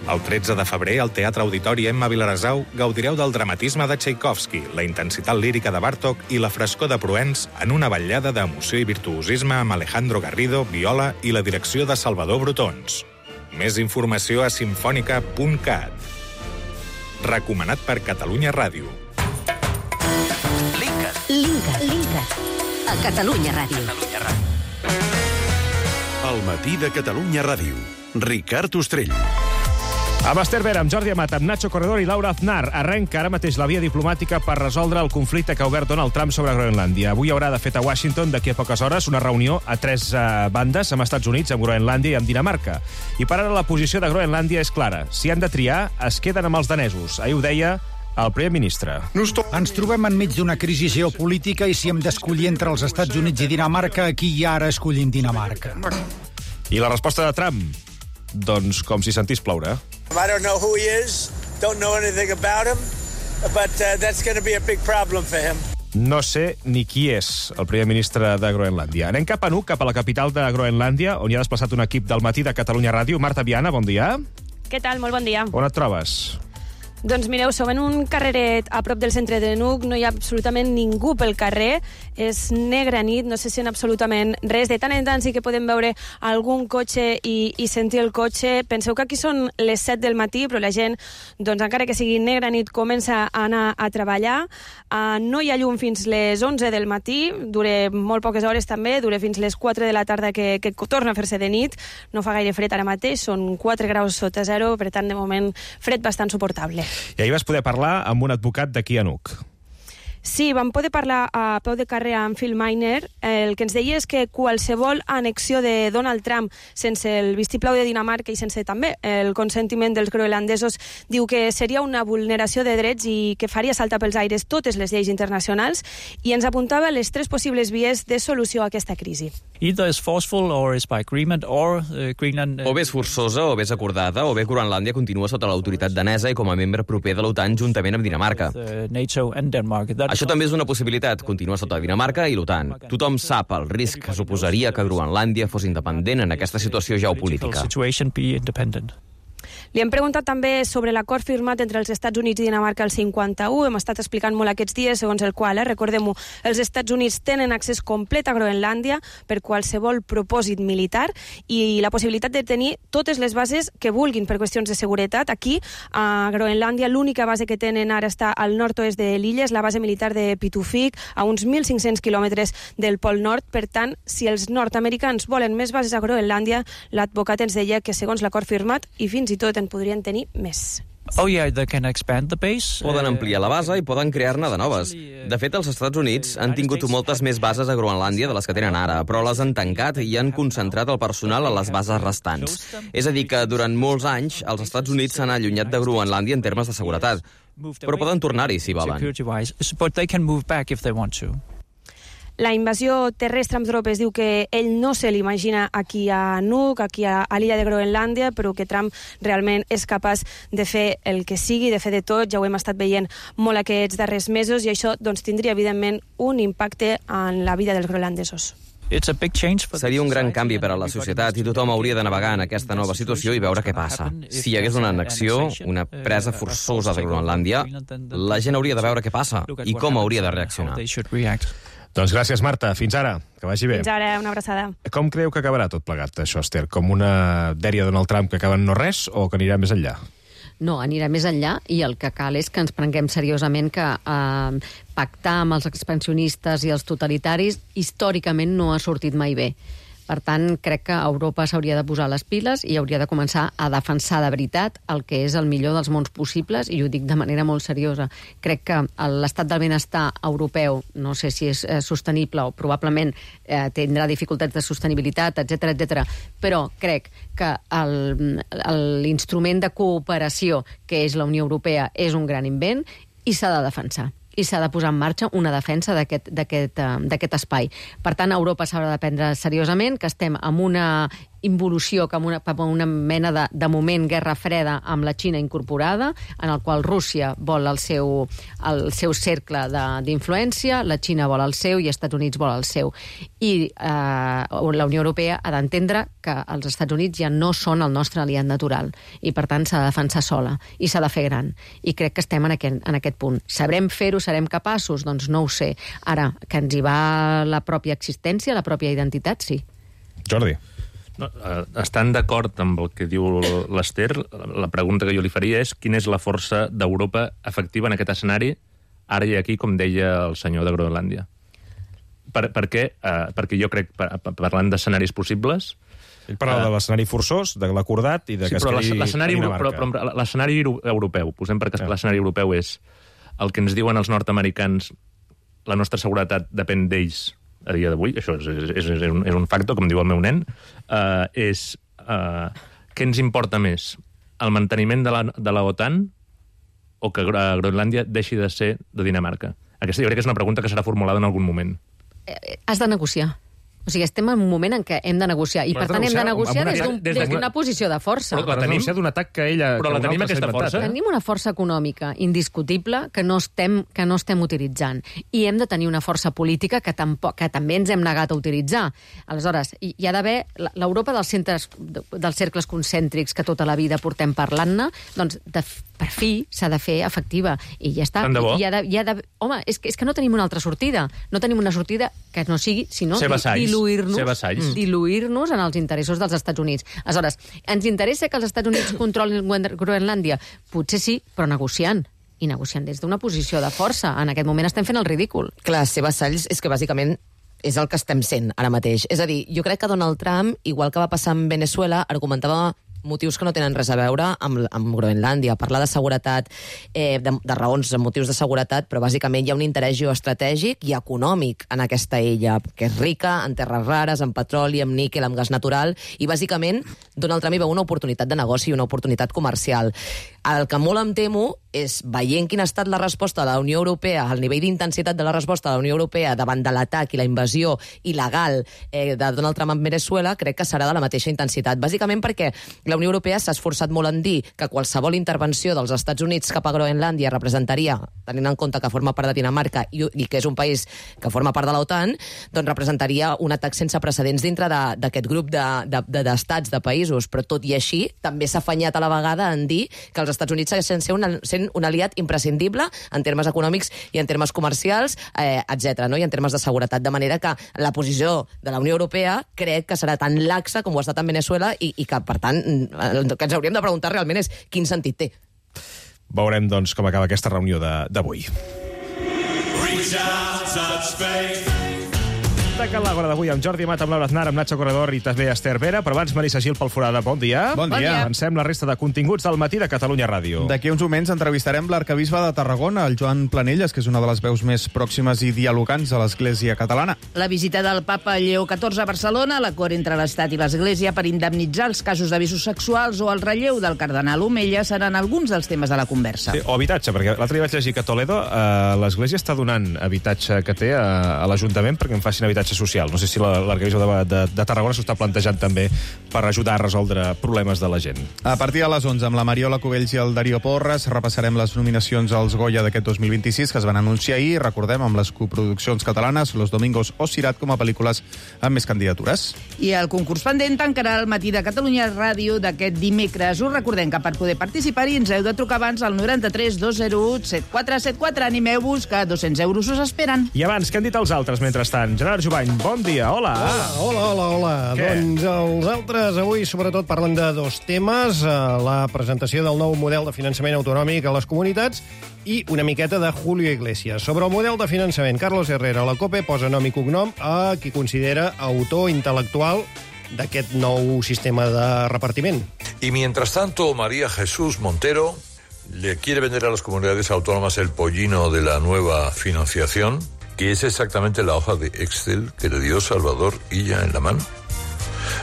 El tretze de febrer, al Teatre Auditori Emma Vilaresau, gaudireu del dramatisme de Tchaikovsky, la intensitat lírica de Bartók i la frescor de Proens en una vetllada d'emoció i virtuosisme amb Alejandro Garrido, viola i la direcció de Salvador Brotons. Més informació a simfònica punt cat. Recomanat per Catalunya Ràdio. Linkat. Linkat. Linkat. A Catalunya Ràdio. Catalunya Ràdio. El matí de Catalunya Ràdio. Ricard Ostrell. Amb Esther Vera, amb Jordi Amat, amb Nacho Corredor i Laura Aznar. Arrenca ara mateix la via diplomàtica per resoldre el conflicte que ha obert Donald Trump sobre Groenlàndia. Avui haurà de fet a Washington, d'aquí a poques hores, una reunió a tres uh, bandes, amb Estats Units, amb Groenlàndia i amb Dinamarca. I per ara la posició de Groenlàndia és clara. Si han de triar, es queden amb els danesos. Ahir ho deia el primer ministre. Ens trobem enmig d'una crisi geopolítica i si hem d'escollir entre els Estats Units i Dinamarca, aquí i ara escollim Dinamarca. I la resposta de Trump? Doncs com si sentís ploure. I don't know who he is, don't know anything about him, but uh, that's going to be a big problem for him. No sé ni qui és el primer ministre de Groenlàndia. Anem cap a Nuuk, cap a la capital de Groenlàndia, on hi ha desplaçat un equip del matí de Catalunya Ràdio. Marta Viana, bon dia. Què tal? Molt bon dia. On et trobes? Doncs mireu, som en un carreret a prop del centre de Nuuk, no hi ha absolutament ningú pel carrer, és negra nit, no se sent absolutament res. De tant en tant sí que podem veure algun cotxe i, i sentir el cotxe. Penseu que aquí són les set del matí, però la gent, doncs encara que sigui negra nit, comença a anar a treballar. Uh, no hi ha llum fins les onze del matí, dura molt poques hores també, dura fins les quatre de la tarda que, que torna a fer-se de nit. No fa gaire fred ara mateix, són quatre graus sota zero, per tant, de moment, fred bastant suportable. I ahir vas poder parlar amb un advocat d'aquí a Nuuk. Sí, vam poder parlar a peu de carrer amb Phil Miner. El que ens deia és que qualsevol annexió de Donald Trump sense el vistiplau de Dinamarca i sense també el consentiment dels groenlandesos diu que seria una vulneració de drets i que faria saltar pels aires totes les lleis internacionals i ens apuntava les tres possibles vies de solució a aquesta crisi. Either is forceful or is by agreement or uh, Greenland... O bé és forçosa o bé és acordada o bé Groenlàndia continua sota l'autoritat danesa i com a membre proper de l'OTAN juntament amb Dinamarca. Uh, NATO and Denmark. That Això també és una possibilitat, continuar sota Dinamarca i l'OTAN. Tothom sap el risc que suposaria que Groenlàndia fos independent en aquesta situació geopolítica. Li hem preguntat també sobre l'acord firmat entre els Estats Units i Dinamarca el cinquanta-u. Hem estat explicant molt aquests dies, segons el qual, eh, recordem-ho, els Estats Units tenen accés complet a Groenlàndia per qualsevol propòsit militar i la possibilitat de tenir totes les bases que vulguin per qüestions de seguretat. Aquí, a Groenlàndia, l'única base que tenen ara està al nord-oest de l'illa, és la base militar de Pituffik, a uns mil cinc-cents quilòmetres del Pol Nord. Per tant, si els nord-americans volen més bases a Groenlàndia, l'advocat ens deia que segons l'acord firmat, i fins i tot en podrien tenir més. Oh, yeah, they can expand the base. Poden ampliar la base i poden crear-ne de noves. De fet, els Estats Units han tingut moltes més bases a Groenlàndia de les que tenen ara, però les han tancat i han concentrat el personal a les bases restants. És a dir, que durant molts anys els Estats Units s'han allunyat de Groenlàndia en termes de seguretat, però poden tornar-hi si volen. But they can move back if they want to. La invasió terrestre amb tropes diu que ell no se l'imagina aquí a Nuuk, aquí a, a l'illa de Groenlàndia, però que Trump realment és capaç de fer el que sigui, de fer de tot. Ja ho hem estat veient molt aquests darrers mesos i això doncs, tindria, evidentment, un impacte en la vida dels groenlandesos. Seria un gran canvi per a la societat i tothom hauria de navegar en aquesta nova situació i veure què passa. Si hi hagués una annexió, una presa forçosa de Groenlàndia, la gent hauria de veure què passa i com hauria de reaccionar. Doncs gràcies, Marta. Fins ara. Que vagi bé. Fins ara, una abraçada. Com creu que acabarà tot plegat, això, Esther? Com una dèria de Donald Trump que acaba en no res o que anirà més enllà? No, anirà més enllà i el que cal és que ens prenguem seriosament que eh, pactar amb els expansionistes i els totalitaris històricament no ha sortit mai bé. Per tant, crec que Europa s'hauria de posar les piles i hauria de començar a defensar de veritat el que és el millor dels mons possibles, i ho dic de manera molt seriosa. Crec que l'estat del benestar europeu, no sé si és eh, sostenible o probablement eh, tindrà dificultats de sostenibilitat, etcètera, etcètera, però crec que l'instrument de cooperació que és la Unió Europea és un gran invent i s'ha de defensar. I s'ha de posar en marxa una defensa d'aquest espai. Per tant, Europa s'haurà de prendre seriosament, que estem en una involució cap a una, cap a una mena de, de moment guerra freda amb la Xina incorporada, en el qual Rússia vol el seu, el seu cercle d'influència, la Xina vol el seu i els Estats Units vol el seu. I eh, la Unió Europea ha d'entendre que els Estats Units ja no són el nostre aliat natural i, per tant, s'ha de defensar sola i s'ha de fer gran. I crec que estem en aquest, en aquest punt. Sabrem fer-ho, serem capaços? Doncs no ho sé. Ara, que ens hi va la pròpia existència, la pròpia identitat, sí. Jordi. No, estant d'acord amb el que diu l'Ester, la pregunta que jo li faria és quina és la força d'Europa efectiva en aquest escenari, ara i aquí, com deia el senyor de Groenlàndia. Per, per què? Uh, perquè jo crec, par, parlant d'escenaris possibles... Ell parlava uh, de l'escenari forçós, de l'acordat i de que sí, es quedi Dinamarca. Però l'escenari europeu, posem perquè ja. L'escenari europeu és el que ens diuen els nord-americans, la nostra seguretat depèn d'ells a dia d'avui, això és, és, és, un, és un factor, com diu el meu nen, uh, és uh, què ens importa més, el manteniment de la, de la OTAN o que Groenlàndia deixi de ser de Dinamarca? Aquesta jo crec que és una pregunta que serà formulada en algun moment. Has de negociar. O sigui, estem en un moment en què hem de negociar. I, per tant, hem de negociar des d'una des d'un, posició de força. Però la tenim d'un atac que ella... Però la tenim aquesta força. Tenim una força econòmica indiscutible que no estem, que no estem utilitzant. I hem de tenir una força política que, tampoc, que també ens hem negat a utilitzar. Aleshores, hi ha d'haver... L'Europa dels, centres, dels cercles concèntrics que tota la vida portem parlant-ne, doncs, de, per fi, s'ha de fer efectiva. I ja està. Tant de bo. I hi ha de, hi ha de, home, és que, és que no tenim una altra sortida. No tenim una sortida que no sigui, sinó... diluir-nos diluir-nos en els interessos dels Estats Units. Aleshores, ens interessa que els Estats Units controlin Groenlàndia? Potser sí, però negociant. I negociant des d'una posició de força. En aquest moment estem fent el ridícul. Clar, ser vassalls és que bàsicament és el que estem sent ara mateix. És a dir, jo crec que Donald Trump, igual que va passar amb Venezuela, argumentava motius que no tenen res a veure amb, amb Groenlàndia. Parlar de seguretat, eh, de, de raons, de motius de seguretat, però bàsicament hi ha un interès geoestratègic i econòmic en aquesta illa, que és rica en terres rares, en petroli, en níquel, en gas natural, i bàsicament Donald Trump hi veu una oportunitat de negoci i una oportunitat comercial. El que molt em temo és, veient quina ha estat la resposta de la Unió Europea, el nivell d'intensitat de la resposta de la Unió Europea davant de l'atac i la invasió il·legal eh, de Donald Trump en Venezuela, crec que serà de la mateixa intensitat. Bàsicament perquè la Unió Europea s'ha esforçat molt en dir que qualsevol intervenció dels Estats Units cap a Groenlàndia representaria, tenint en compte que forma part de Dinamarca i, i que és un país que forma part de l'OTAN, doncs representaria un atac sense precedents dintre d'aquest grup d'estats, de, de, de, de països. Però tot i així, també s'ha afanyat a la vegada en dir que els Estats Units segueixen sent un, sent un aliat imprescindible en termes econòmics i en termes comercials, eh, etcètera, no? I en termes de seguretat. De manera que la posició de la Unió Europea crec que serà tan laxa com ho ha estat en Venezuela i, i que, per tant, el que ens hauríem de preguntar realment és quin sentit té. Veurem, doncs, com acaba aquesta reunió d'avui. Taca l'Àgora d'avui amb Jordi Amat, amb Laura Aznar, amb Nacho Corredor i també Esther Vera, però abans Marisa Gil pel Forada. Bon dia. Bon dia. Avancem la resta de continguts del matí de Catalunya Ràdio. D'aquí uns moments entrevistarem l'arcabisbe de Tarragona, el Joan Planelles, que és una de les veus més pròximes i dialogants a l'Església catalana. La visita del papa Lleó catorze a Barcelona, l'acord entre l'Estat i l'Església per indemnitzar els casos d'abusos sexuals o el relleu del cardenal Omella seran alguns dels temes de la conversa. Sí, o habitatge, perquè l'altre dia vaig llegir que a Toledo eh, l'Església està donant habitatge que té a, a l'Ajuntament perquè en facin habitatge social. No sé si l'arcabisbe de, de, de Tarragona s'ho està plantejant també per ajudar a resoldre problemes de la gent. A partir de les onze, amb la Mariola Cubells i el Darío Porres, repassarem les nominacions als Goya d'aquest dos mil vint-i-sis que es van anunciar ahir, recordem, amb les coproduccions catalanes Los Domingos o Sirat com a pel·lícules amb més candidatures. I el concurs pendent tancarà el matí de Catalunya Ràdio d'aquest dimecres. Us recordem que per poder participar-hi ens heu de trucar abans al noranta-tres dos zero u set quatre set quatre. Animeu-vos, que dos-cents euros us esperen. I abans, què han dit els altres mentrestant? Gerard Jubà, Jubany, bon dia, hola. Hola, hola, hola, hola. Què? Doncs els altres avui sobretot parlen de dos temes, la presentació del nou model de finançament autonòmic a les comunitats i una miqueta de Julio Iglesias. Sobre el model de finançament, Carlos Herrera, la COPE, posa nom i cognom a qui considera autor intel·lectual d'aquest nou sistema de repartiment. Y mientras tanto, María Jesús Montero le quiere vender a las comunidades autónomas el pollino de la nueva financiación, que es exactamente la hoja de Excel que le dio Salvador Illa en la mano.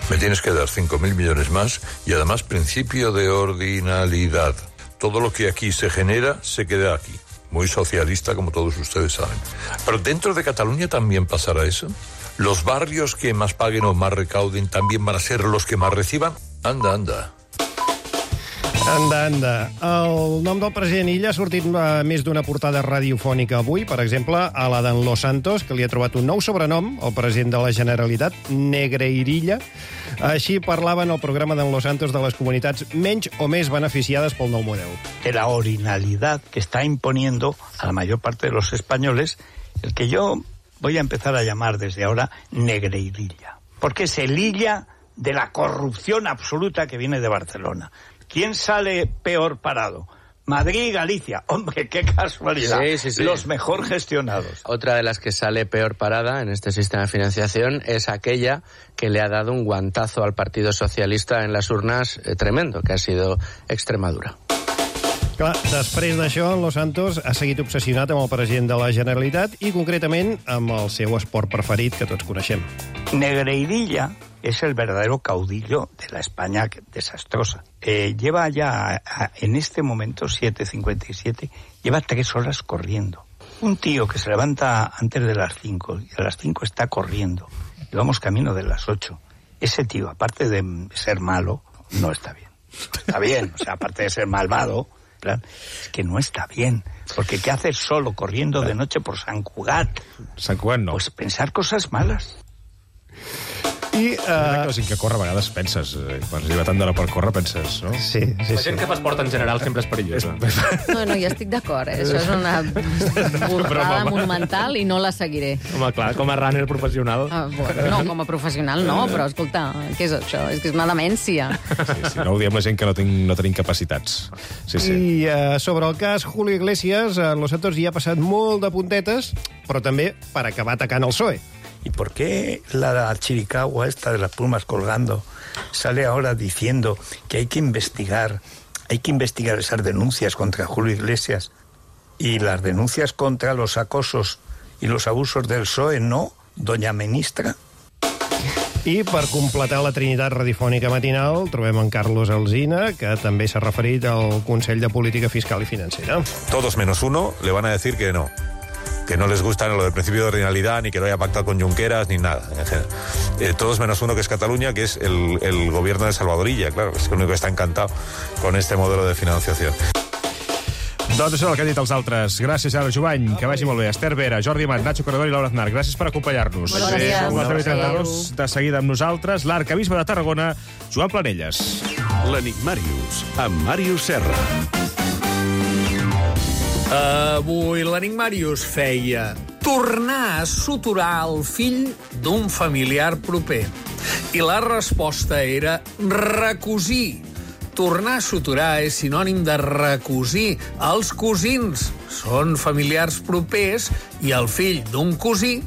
Me tienes que dar cinco mil millones más y además principio de ordinalidad. Todo lo que aquí se genera se queda aquí. Muy socialista, como todos ustedes saben. Pero dentro de Cataluña también pasará eso. ¿Los barrios que más paguen o más recauden también van a ser los que más reciban? Anda, anda. Anda, anda. El nom del president Illa ha sortit a més d'una portada radiofònica avui, per exemple, a la d'en Los Santos, que li ha trobat un nou sobrenom, el president de la Generalitat, Negreirilla. Així parlaven al programa d'en Los Santos de les comunitats menys o més beneficiades pel nou model. De la ordinalidad que está imponiendo a la mayor parte de los españoles, el que yo voy a empezar a llamar desde ahora Negreirilla. Porque es el Illa de la corrupción absoluta que viene de Barcelona. ¿Quién sale peor parado? Madrid y Galicia. Hombre, qué casualidad. Sí, sí, sí. Los mejor gestionados. Otra de las que sale peor parada en este sistema de financiación es aquella que le ha dado un guantazo al Partido Socialista en las urnas eh, tremendo, que ha sido Extremadura. Clar, després d'això, Los Santos ha seguit obsessionat amb el president de la Generalitat i, concretament, amb el seu esport preferit, que tots coneixem. Negreirilla es el verdadero caudillo de la España desastrosa. Eh, lleva ya, a, en este momento, siete cincuenta y siete, lleva tres horas corriendo. Un tío que se levanta antes de las cinco y a las cinco está corriendo. Y vamos camino de las ocho. Ese tío, aparte de ser malo, no está bien. Está bien, o sea, aparte de ser malvado, claro, es que no está bien. Porque ¿qué haces solo corriendo de noche por Sant Cugat? Sant Cugat no. Pues pensar cosas malas. I, uh... la gent que corre a vegades penses, eh, quan arriba tant d'hora per córrer penses, no? Sí, sí, la gent que fa esport en general sempre és perillosa. No, no, ja estic d'acord, eh? Això és una borrada monumental i no la seguiré. Home, clar, com a runner professional. Ah, bueno, no, com a professional no, però escolta, què és això? És que és una demència. Sí, sí, no ho diem la gent que no, tinc, no tenim capacitats. Sí, sí. I uh, sobre el cas Julio Iglesias, uh, Los Santos hi ha passat molt de puntetes, però també per acabar atacant el P S O E. ¿Y por qué la chiricahua esta de las plumas colgando sale ahora diciendo que hay que investigar, hay que investigar esas denuncias contra Julio Iglesias y las denuncias contra los acosos y los abusos del P S O E, no, doña ministra? I per completar la trinitat radiofònica matinal trobem en Carlos Alsina, que també s'ha referit al Consell de Política Fiscal i Financera. Todos menos uno le van a decir que no. Que no les gusta lo del principio de ordinalidad, ni que lo haya pactado con Junqueras, ni nada. Eh, todos menos uno, que es Cataluña, que es el, el gobierno de Salvador Illa, claro, es el único que está encantado con este modelo de financiación. Doncs això és el que han dit els altres. Gràcies, Ara Jubany, que vagi molt bé. Esther Vera, Jordi Amat, Nacho Corredor i Laura Aznar, gràcies per acompanyar-nos. Moltes gràcies. Són les deu i trenta-dos, de seguida amb nosaltres, l'arcabisbe de Tarragona, Joan Planelles. L'Enigmàrius, amb Màrius Serra. Avui l'Enigmàrius feia tornar a suturar el fill d'un familiar proper. I la resposta era recosir. Tornar a suturar és sinònim de recosir. Els cosins són familiars propers i el fill d'un cosí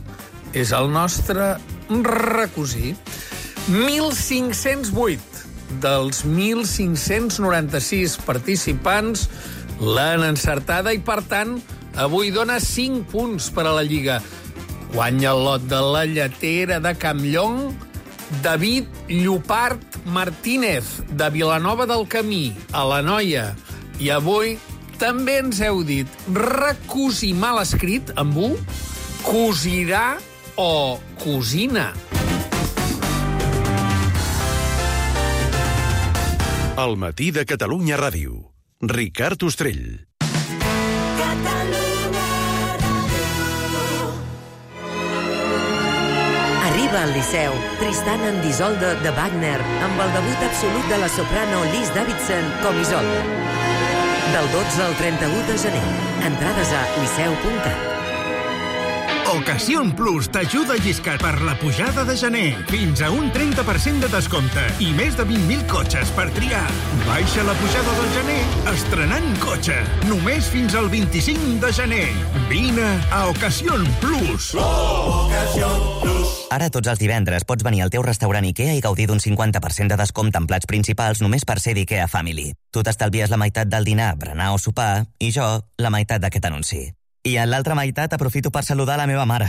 és el nostre recosí. mil cinc-cents vuit dels mil cinc-cents noranta-sis participants l'han encertada i, per tant, avui dona cinc punts per a la Lliga. Guanya el lot de la lletera de Campllong David Llopart Martínez, de Vilanova del Camí, a l'Anoia. I avui també ens heu dit recosir mal escrit amb U, cosirà o cosina. El matí de Catalunya Ràdio. Ricard Ostrell. Arriba al Liceu Tristan and Isolde de Wagner amb el debut absolut de la soprano Liz Davidson com Isolde. Del dotze al trenta-u de gener. Entrades a liceu punt cat. Ocasión Plus t'ajuda a lliscar per la pujada de gener. Fins a un trenta per cent de descompte i més de vint mil cotxes per triar. Baixa la pujada del gener estrenant cotxe. Només fins al vint-i-cinc de gener. Vine a Ocasión Plus. Oh, Ocasión Plus. Ara tots els divendres pots venir al teu restaurant IKEA i gaudir d'un cinquanta per cent de descompte en plats principals només per ser d'IKEA Family. Tu t'estalvies la meitat del dinar, berenar o sopar i jo la meitat d'aquest anunci. I en l'altra meitat aprofito per saludar la meva mare.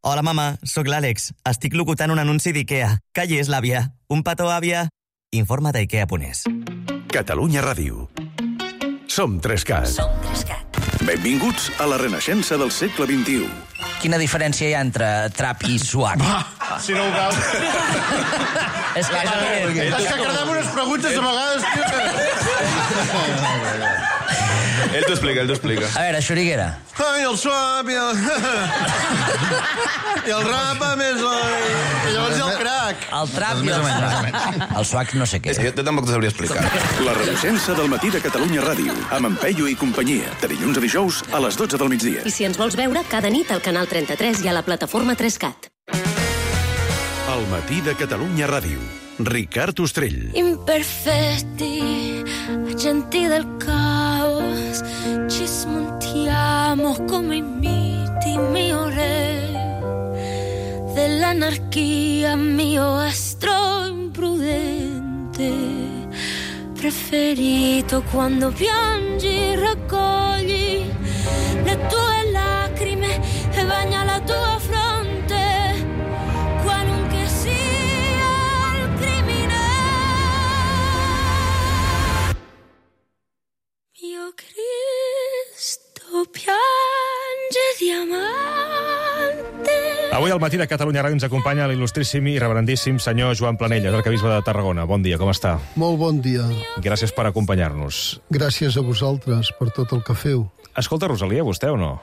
Hola, mama, sóc l'Àlex. Estic locutant un anunci d'IKEA. Que hi és l'àvia? Un petó, àvia? Informa d'IKEA punt es. Catalunya Ràdio. Som Trescat. Som Trescat. Benvinguts a la renaixença del segle vint-i-u. Quina diferència hi ha entre trap i swag? Si no ho veus... És que, és que credem unes preguntes a vegades, tio. Ell t'ho explica, ell t'ho explica. A veure, Xuriguera. Ai, el swap i el... I el rap, a més, i llavors hi ha el crack. El trap i el swag. El swag no sé què. Jo tampoc t'ho sabria explicar. La renaixença del matí de Catalunya Ràdio, amb en Peyu i companyia, de dilluns a dijous a les dotze del migdia. I si ens vols veure, cada nit al canal trenta-tres i a la plataforma Trescat. El matí de Catalunya Ràdio. Ricard Ostrell. Imperfetti, agenti del caos, ci smontiamo come i miti, mio re dell'anarchia, mio astro imprudente preferito. Quando piangi raccogli le tue lacrime e bagna la tua fronte, qualunque sia il crimine. Mio Cristo piange diamante. Avui al matí de Catalunya Ràdio ens acompanya l'il·lustríssim i reverendíssim senyor Joan Planella, arquebisbe de Tarragona. Bon dia, com està? Molt bon dia. Gràcies per acompanyar-nos. Gràcies a vosaltres per tot el que feu. Escolta, Rosalia, vostè o no?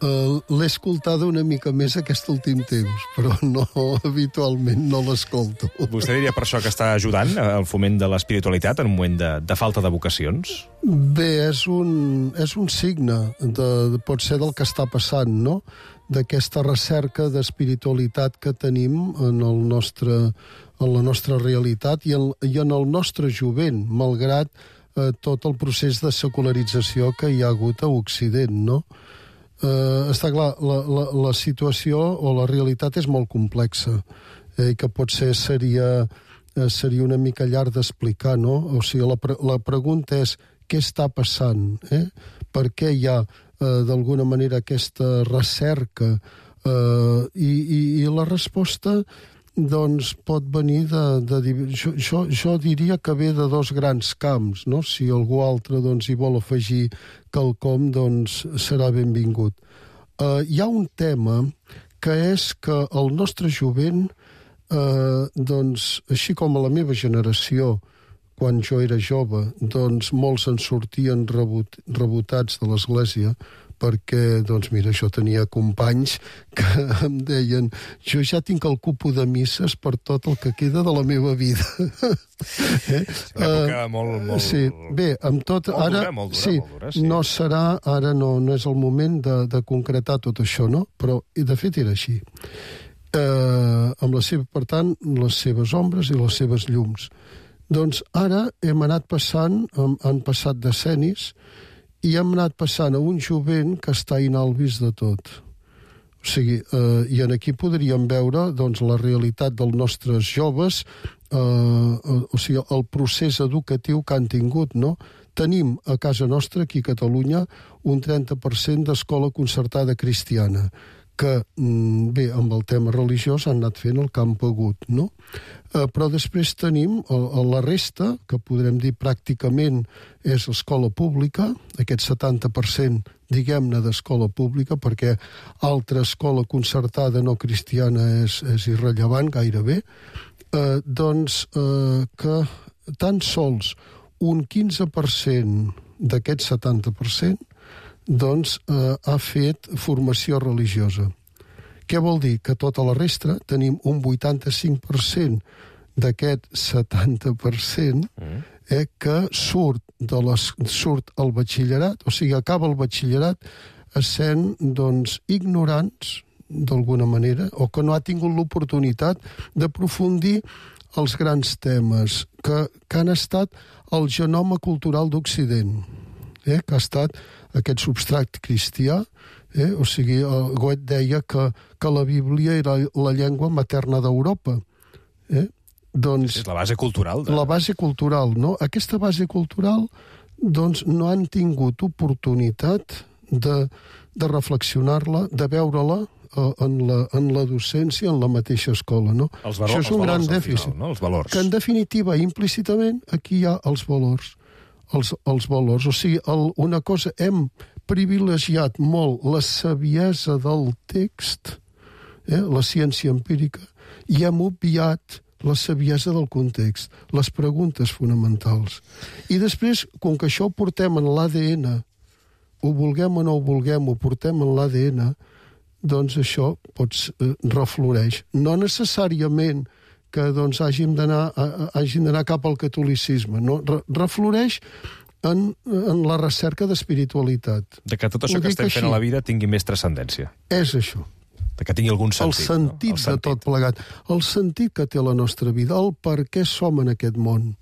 Uh, L'he escoltada una mica més aquest últim temps, però no, habitualment no l'escolto. Vostè diria per això que està ajudant al foment de l'espiritualitat en un moment de, de falta de vocacions? Bé, és un, és un signe, de, de, pot ser del que està passant, no?, d'aquesta recerca d'espiritualitat que tenim en, el nostre, en la nostra realitat i en, i en el nostre jovent, malgrat eh, tot el procés de secularització que hi ha hagut a Occident, no? Eh, està clar, la, la, la situació o la realitat és molt complexa, eh, que potser seria, eh, seria una mica llarg d'explicar, no? O sigui, la, pre la pregunta és què està passant, eh? Per què hi ha eh, d'alguna manera aquesta recerca eh, i, i, i la resposta doncs pot venir de... de jo, jo, jo diria que ve de dos grans camps, no? Si algú altre doncs, hi vol afegir quelcom, doncs serà benvingut. Eh, hi ha un tema que és que el nostre jovent, eh, doncs, així com a la meva generació, quan jo era jove, doncs molts en sortien rebut, rebotats de l'església, perquè, doncs mira, jo tenia companys que em deien jo ja tinc el cupo de misses per tot el que queda de la meva vida. eh? És una època uh, molt, molt... Sí, bé, amb tot... Molt ara, dura, molt dura, sí, molt dura, sí. No serà, ara no, no és el moment de, de concretar tot això, no? Però, i de fet, era així. Uh, amb la seva, per tant, les seves ombres i les seves llums. Doncs ara hem anat passant, han, han passat decennis, i hem anat passant a un jovent que està inalvis de tot. O sigui, eh, i en aquí podríem veure doncs, la realitat dels nostres joves, eh, o sigui, el procés educatiu que han tingut, no? Tenim a casa nostra, aquí a Catalunya, un trenta per cent d'escola concertada cristiana, que, bé, amb el tema religiós han anat fent el que han pogut, no? Eh, però després tenim el, el, la resta, que podrem dir pràcticament és escola pública, aquest setanta per cent, diguem-ne, d'escola pública, perquè altra escola concertada no cristiana és, és irrellevant gairebé, eh, doncs eh, que tan sols un quinze per cent d'aquest setanta per cent doncs eh, ha fet formació religiosa. Què vol dir? Que tota la resta tenim un vuitanta-cinc per cent d'aquest setanta per cent eh, que surt, de les, surt al batxillerat, o sigui, acaba el batxillerat essent doncs, ignorants d'alguna manera, o que no ha tingut l'oportunitat d'aprofundir els grans temes que, que han estat el genoma cultural d'Occident, eh? que ha estat aquest substrat cristià, eh? o sigui, el Goethe deia que, que la Bíblia era la llengua materna d'Europa. Eh? Doncs, és la base cultural. De... La base cultural, no? Aquesta base cultural doncs, no han tingut oportunitat de, de reflexionar-la, de veure-la en la, en la docència, en la mateixa escola, no? Els valors, Això és un gran dèficit. Final, no? Els valors. Que, en definitiva, implícitament, aquí hi ha els valors. Els, els valors. O sigui, el, una cosa, hem privilegiat molt la saviesa del text, eh, la ciència empírica, i hem obviat la saviesa del context, les preguntes fonamentals. I després, com que això ho portem en l'A D N, ho vulguem o no ho vulguem, ho portem en l'A D N, doncs això pots, eh, refloreix. No necessàriament que doncs, hàgim d'anar hàgim d'anar cap al catolicisme, no? Re, refloreix en, en la recerca d'espiritualitat. De que tot això Ho que dic estem així. fent a la vida tingui més transcendència. És això. De que tingui algun sentit. El sentit, no? El de tot plegat. El sentit que té la nostra vida, el per què som en aquest món.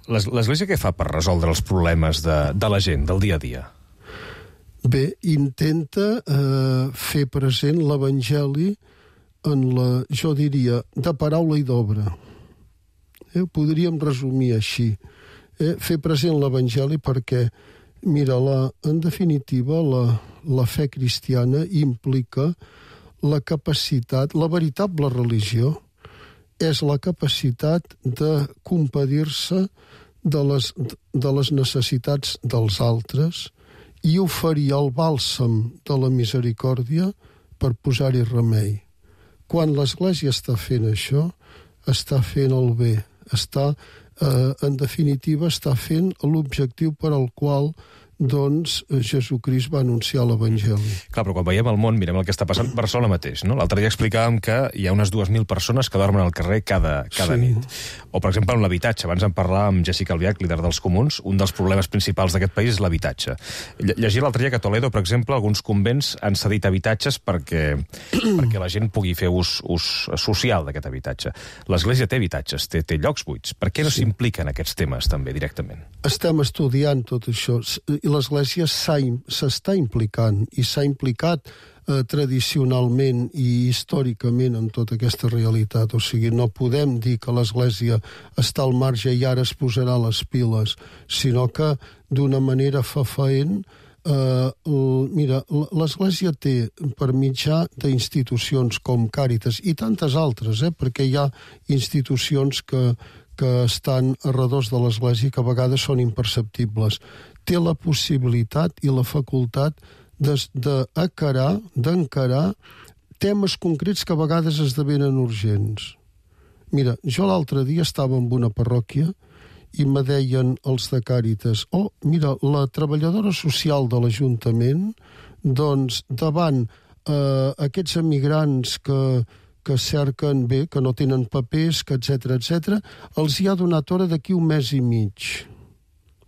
L'Església què fa per resoldre els problemes de, de la gent, del dia a dia? Bé, intenta eh, fer present l'Evangeli en la, jo diria, de paraula i d'obra. Eh, ho podríem resumir així. Eh, fer present l'Evangeli perquè, mira, la, en definitiva, la, la fe cristiana implica la capacitat, la veritable religió és la capacitat de compadir-se de les, de les necessitats dels altres i oferir el bàlsam de la misericòrdia per posar-hi remei. Quan l'Església està fent això, està fent el bé, està, eh, en definitiva, està fent l'objectiu per al qual doncs Jesucrist va anunciar l'Evangeli. Clar, però quan veiem el món, mirem el que està passant a Barcelona mateix, no? L'altre dia explicàvem que hi ha unes dues mil persones que dormen al carrer cada, cada Sí. nit. O, per exemple, en l'habitatge. Abans en parlàvem amb Jessica Albiach, líder dels Comuns. Un dels problemes principals d'aquest país és l'habitatge. Lle- Llegia l'altre dia que a Toledo, per exemple, alguns convents han cedit habitatges perquè, perquè la gent pugui fer ús, ús social d'aquest habitatge. L'Església té habitatges, té, té llocs buits. Per què no s'implica en aquests temes també directament? Estem estudiant tot això i l'Església s'ha im- s'està implicant i s'ha implicat eh, tradicionalment i històricament en tota aquesta realitat. O sigui, no podem dir que l'Església està al marge i ara es posarà les piles, sinó que d'una manera fefaent eh, l- mira, l- l'Església té per mitjà d'institucions com Càritas i tantes altres, eh, perquè hi ha institucions que que estan a redós de l'Església que a vegades són imperceptibles. Té la possibilitat i la facultat d'encarar d'encarar temes concrets que a vegades esdevenen urgents. Mira, jo l'altre dia estava en una parròquia i me deien els de Càritas, oh, mira, la treballadora social de l'Ajuntament, doncs, davant eh, aquests emigrants que que cerquen bé, que no tenen papers, que etcètera, etcètera, els hi ha donat hora d'aquí un mes i mig.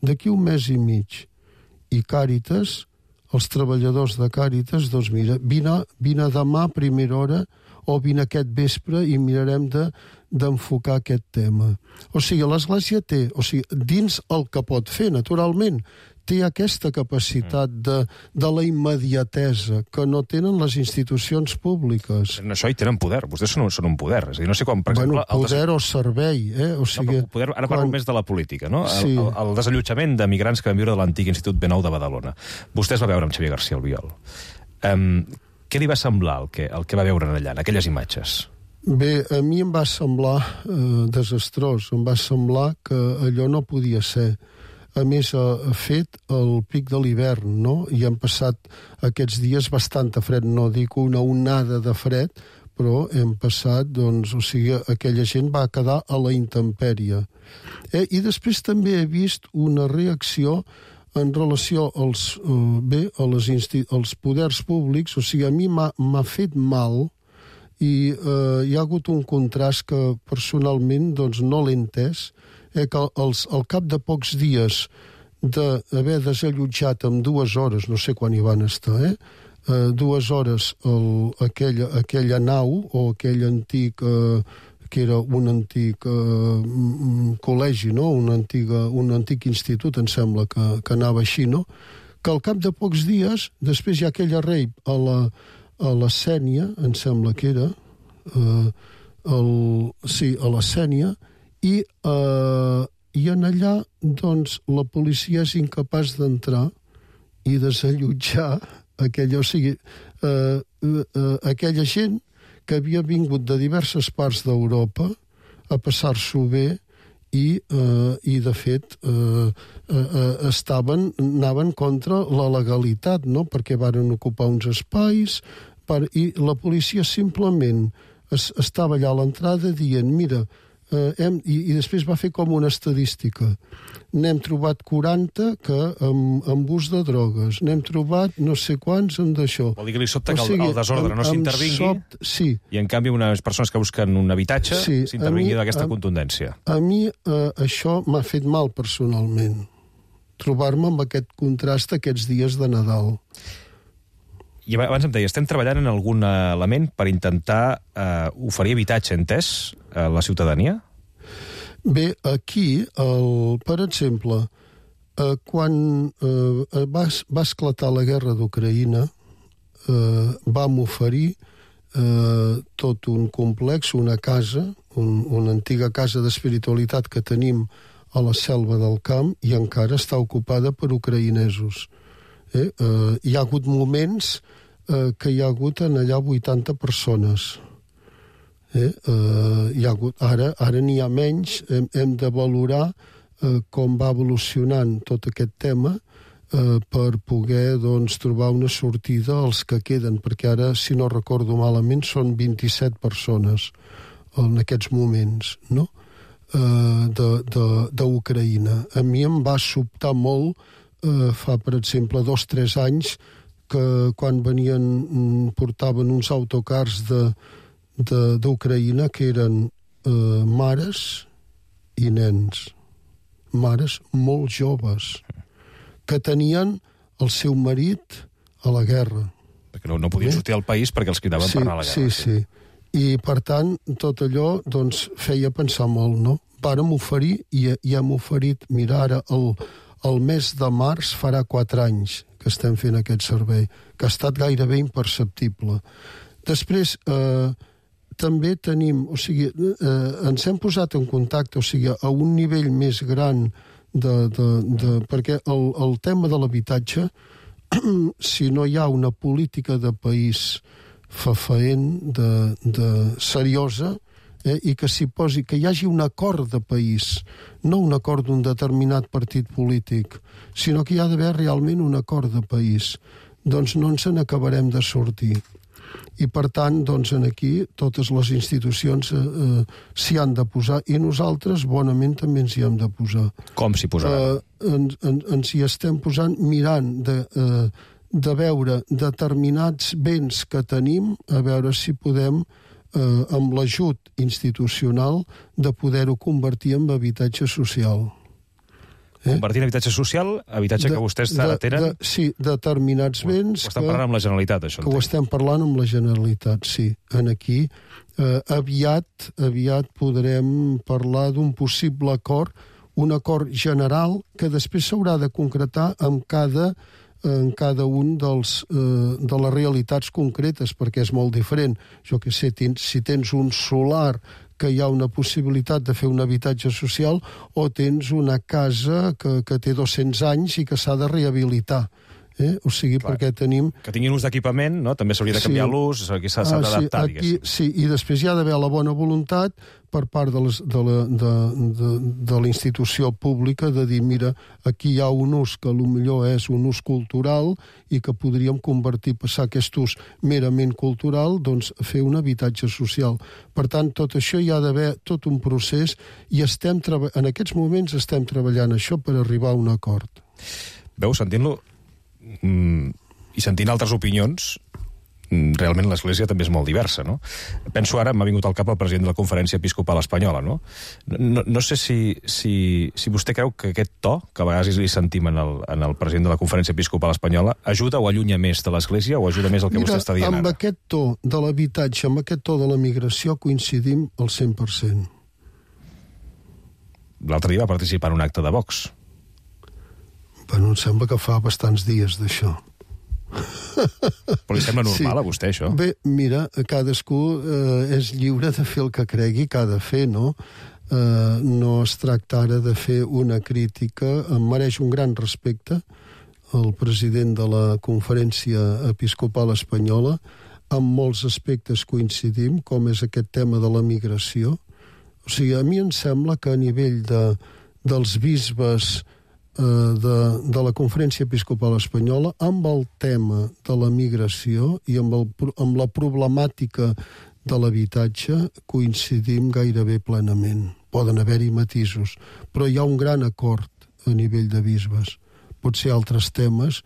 D'aquí un mes i mig. I Càritas, els treballadors de Càritas, doncs mira, vine, vine demà a primera hora o vine aquest vespre i mirarem de d'enfocar aquest tema. O sigui, l'Església té, o sigui, dins el que pot fer, naturalment, té aquesta capacitat de, de la immediatesa que no tenen les institucions públiques. En això hi tenen poder. Vostès són, són un poder. És a dir, no sé com, per bueno, exemple... poder des... o servei, eh? O sigui, no, poder, ara quan... parlo més de la política, no? Sí. El, el, el desallotjament de migrants que van viure de l'antic Institut Benou de Badalona. Vostè es va veure amb Xavier García Albiol. Um, què li va semblar el que, el que va veure allà, en aquelles imatges? Bé, a mi em va semblar eh, desastrós. Em va semblar que allò no podia ser. A més, ha fet el pic de l'hivern, no? I han passat aquests dies bastanta fred. No dic una onada de fred, però hem passat, doncs, o sigui, aquella gent va quedar a la intempèrie. Eh? I després també he vist una reacció en relació als, eh, bé, a les insti- als poders públics. O sigui, a mi m'ha fet mal i eh, hi ha hagut un contrast que personalment doncs, no l'he entès, eh, que els, al cap de pocs dies d'haver desallotjat en dues hores, no sé quan hi van estar, eh, eh, dues hores el, aquella, aquella nau o aquell antic... Eh, que era un antic eh, col·legi, no? un, antiga, un antic institut, em sembla que, que anava així, no? Que al cap de pocs dies, després hi ha aquella rape a la, a la Sènia, em sembla que era, eh, el, sí, a la Sènia, i, eh, i en allà, doncs, la policia és incapaç d'entrar i desallotjar aquella, o sigui, eh, eh, aquella gent que havia vingut de diverses parts d'Europa a passar-s'ho bé i, eh, i de fet, eh, eh, estaven, anaven contra la legalitat, no? Perquè varen ocupar uns espais per, i la policia simplement es, estava allà a l'entrada dient, mira, eh, hem, i, i després va fer com una estadística. N'hem trobat quaranta que amb, amb ús de drogues. N'hem trobat no sé quants amb d'això. Vol dir que li sobta que el, el desordre no s'intervingui sobt, sí. i en canvi unes persones que busquen un habitatge sí, s'intervingui d'aquesta contundència. A mi eh, això m'ha fet mal personalment. Trobar-me amb aquest contrast aquests dies de Nadal. I abans em deia, estem treballant en algun element per intentar eh, oferir habitatge entès a la ciutadania? Bé, aquí, el, per exemple, eh, quan eh, va, va esclatar la guerra d'Ucraïna, eh, vam oferir eh, tot un complex, una casa, un, una antiga casa d'espiritualitat que tenim a la selva del camp i encara està ocupada per ucraïnesos. Eh? Eh, hi ha hagut moments eh, que hi ha hagut en allà vuitanta persones. Eh, eh, hi ha hagut, ara ara n'hi ha menys, hem, hem de valorar eh, com va evolucionant tot aquest tema eh, per poder doncs, trobar una sortida als que queden, perquè ara, si no recordo malament, són vint-i-set persones en aquests moments, no? eh, d'Ucraïna. A mi em va sobtar molt eh, fa, per exemple, dos o tres anys que quan venien, portaven uns autocars de d'Ucraïna que eren eh, mares i nens. Mares molt joves que tenien el seu marit a la guerra. Perquè no, no podien sortir al país perquè els cridaven sí, per anar a la guerra. Sí, sí. I, per tant, tot allò doncs, feia pensar molt, no? Vàrem oferir i, i hem oferit, mira, ara el, el mes de març farà quatre anys que estem fent aquest servei, que ha estat gairebé imperceptible. Després, eh, també tenim, o sigui, eh, ens hem posat en contacte, o sigui, a un nivell més gran de... de, de perquè el, el tema de l'habitatge, si no hi ha una política de país fefaent, de, de seriosa, eh, i que s'hi posi, que hi hagi un acord de país, no un acord d'un determinat partit polític, sinó que hi ha d'haver realment un acord de país, doncs no ens n'acabarem de sortir. I, per tant, doncs, aquí totes les institucions eh, eh, s'hi han de posar i nosaltres bonament també ens hi hem de posar. Com s'hi posaran? Eh, ens, ens, ens hi estem posant mirant de, eh, de veure determinats béns que tenim, a veure si podem, eh, amb l'ajut institucional, de poder-ho convertir en habitatge social. Eh? Convertir en habitatge social, habitatge de, que vostès ara tenen... De, sí, determinats béns... Ho estan parlant amb la Generalitat, això. Que ho estem parlant amb la Generalitat, sí. En aquí, eh, aviat, aviat podrem parlar d'un possible acord, un acord general que després s'haurà de concretar amb cada, en cada un dels, eh, de les realitats concretes, perquè és molt diferent. Jo que sé, tens, si tens un solar que hi ha una possibilitat de fer un habitatge social o tens una casa que, que té dos-cents anys i que s'ha de rehabilitar. Eh? O sigui, clar, perquè tenim... Que tinguin ús d'equipament, no? També s'hauria de canviar sí. l'ús, s'ha ah, d'adaptar, sí, aquí, sí, i després hi ha d'haver la bona voluntat per part de, les, de, la, de, de, de la institució pública de dir, mira, aquí hi ha un ús que potser és un ús cultural i que podríem convertir, passar aquest ús merament cultural, doncs fer un habitatge social. Per tant, tot això hi ha d'haver tot un procés i estem treba... en aquests moments estem treballant això per arribar a un acord. Veu, sentint-lo mm, i sentint altres opinions, realment l'Església també és molt diversa, no? Penso ara, m'ha vingut al cap el president de la Conferència Episcopal Espanyola, no? No, no sé si, si, si vostè creu que aquest to, que a vegades li sentim en el, en el president de la Conferència Episcopal Espanyola, ajuda o allunya més de l'Església o ajuda més el que Mira, vostè està dient amb ara? aquest to de l'habitatge, amb aquest to de la migració, coincidim al cent per cent. L'altre dia va participar en un acte de Vox. Bueno, em sembla que fa bastants dies d'això. Però li sembla normal sí. a vostè, això? Bé, mira, cadascú eh, és lliure de fer el que cregui que ha de fer, no? Eh, no es tracta ara de fer una crítica. Em mereix un gran respecte el president de la Conferència Episcopal Espanyola. En molts aspectes coincidim, com és aquest tema de la migració. O sigui, a mi em sembla que a nivell de, dels bisbes De, de la Conferència Episcopal Espanyola, amb el tema de la migració i amb, el, amb la problemàtica de l'habitatge coincidim gairebé plenament. Poden haver-hi matisos, però hi ha un gran acord a nivell de bisbes. Potser altres temes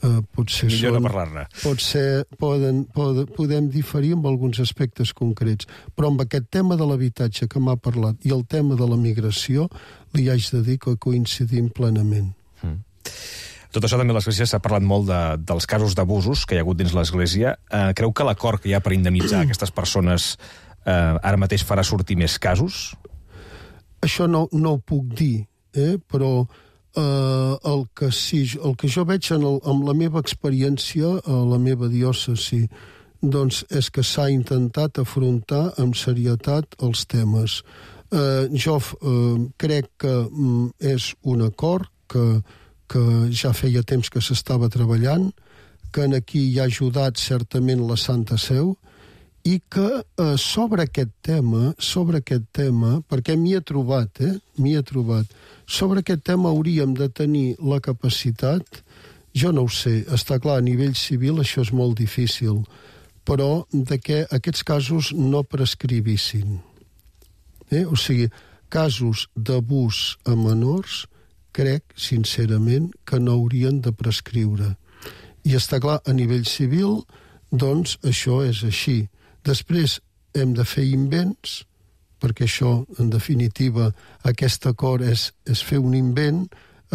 eh, potser millor són, no parlar-ne. Potser poden, poden, podem diferir amb alguns aspectes concrets, però amb aquest tema de l'habitatge que m'ha parlat i el tema de la migració li haig de dir que coincidim plenament. Mm. Tot això també l'Església s'ha parlat molt de, dels casos d'abusos que hi ha hagut dins l'Església. Eh, creu que l'acord que hi ha per indemnitzar aquestes persones eh, ara mateix farà sortir més casos? Això no, no ho puc dir, eh? però eh, el, que sí, el que jo veig en, el, en la meva experiència a la meva diòcesi doncs és que s'ha intentat afrontar amb serietat els temes. Eh, jo eh, crec que mm, és un acord que, que ja feia temps que s'estava treballant, que en aquí hi ha ajudat certament la Santa Seu, i que eh, sobre aquest tema, sobre aquest tema, perquè m'hi he trobat, eh, m'hi he trobat, sobre aquest tema hauríem de tenir la capacitat, jo no ho sé, està clar, a nivell civil això és molt difícil, però de que aquests casos no prescrivissin. Eh? O sigui, casos d'abús a menors, crec, sincerament, que no haurien de prescriure. I està clar, a nivell civil, doncs això és així. Després hem de fer invents, perquè això, en definitiva, aquest acord és, és fer un invent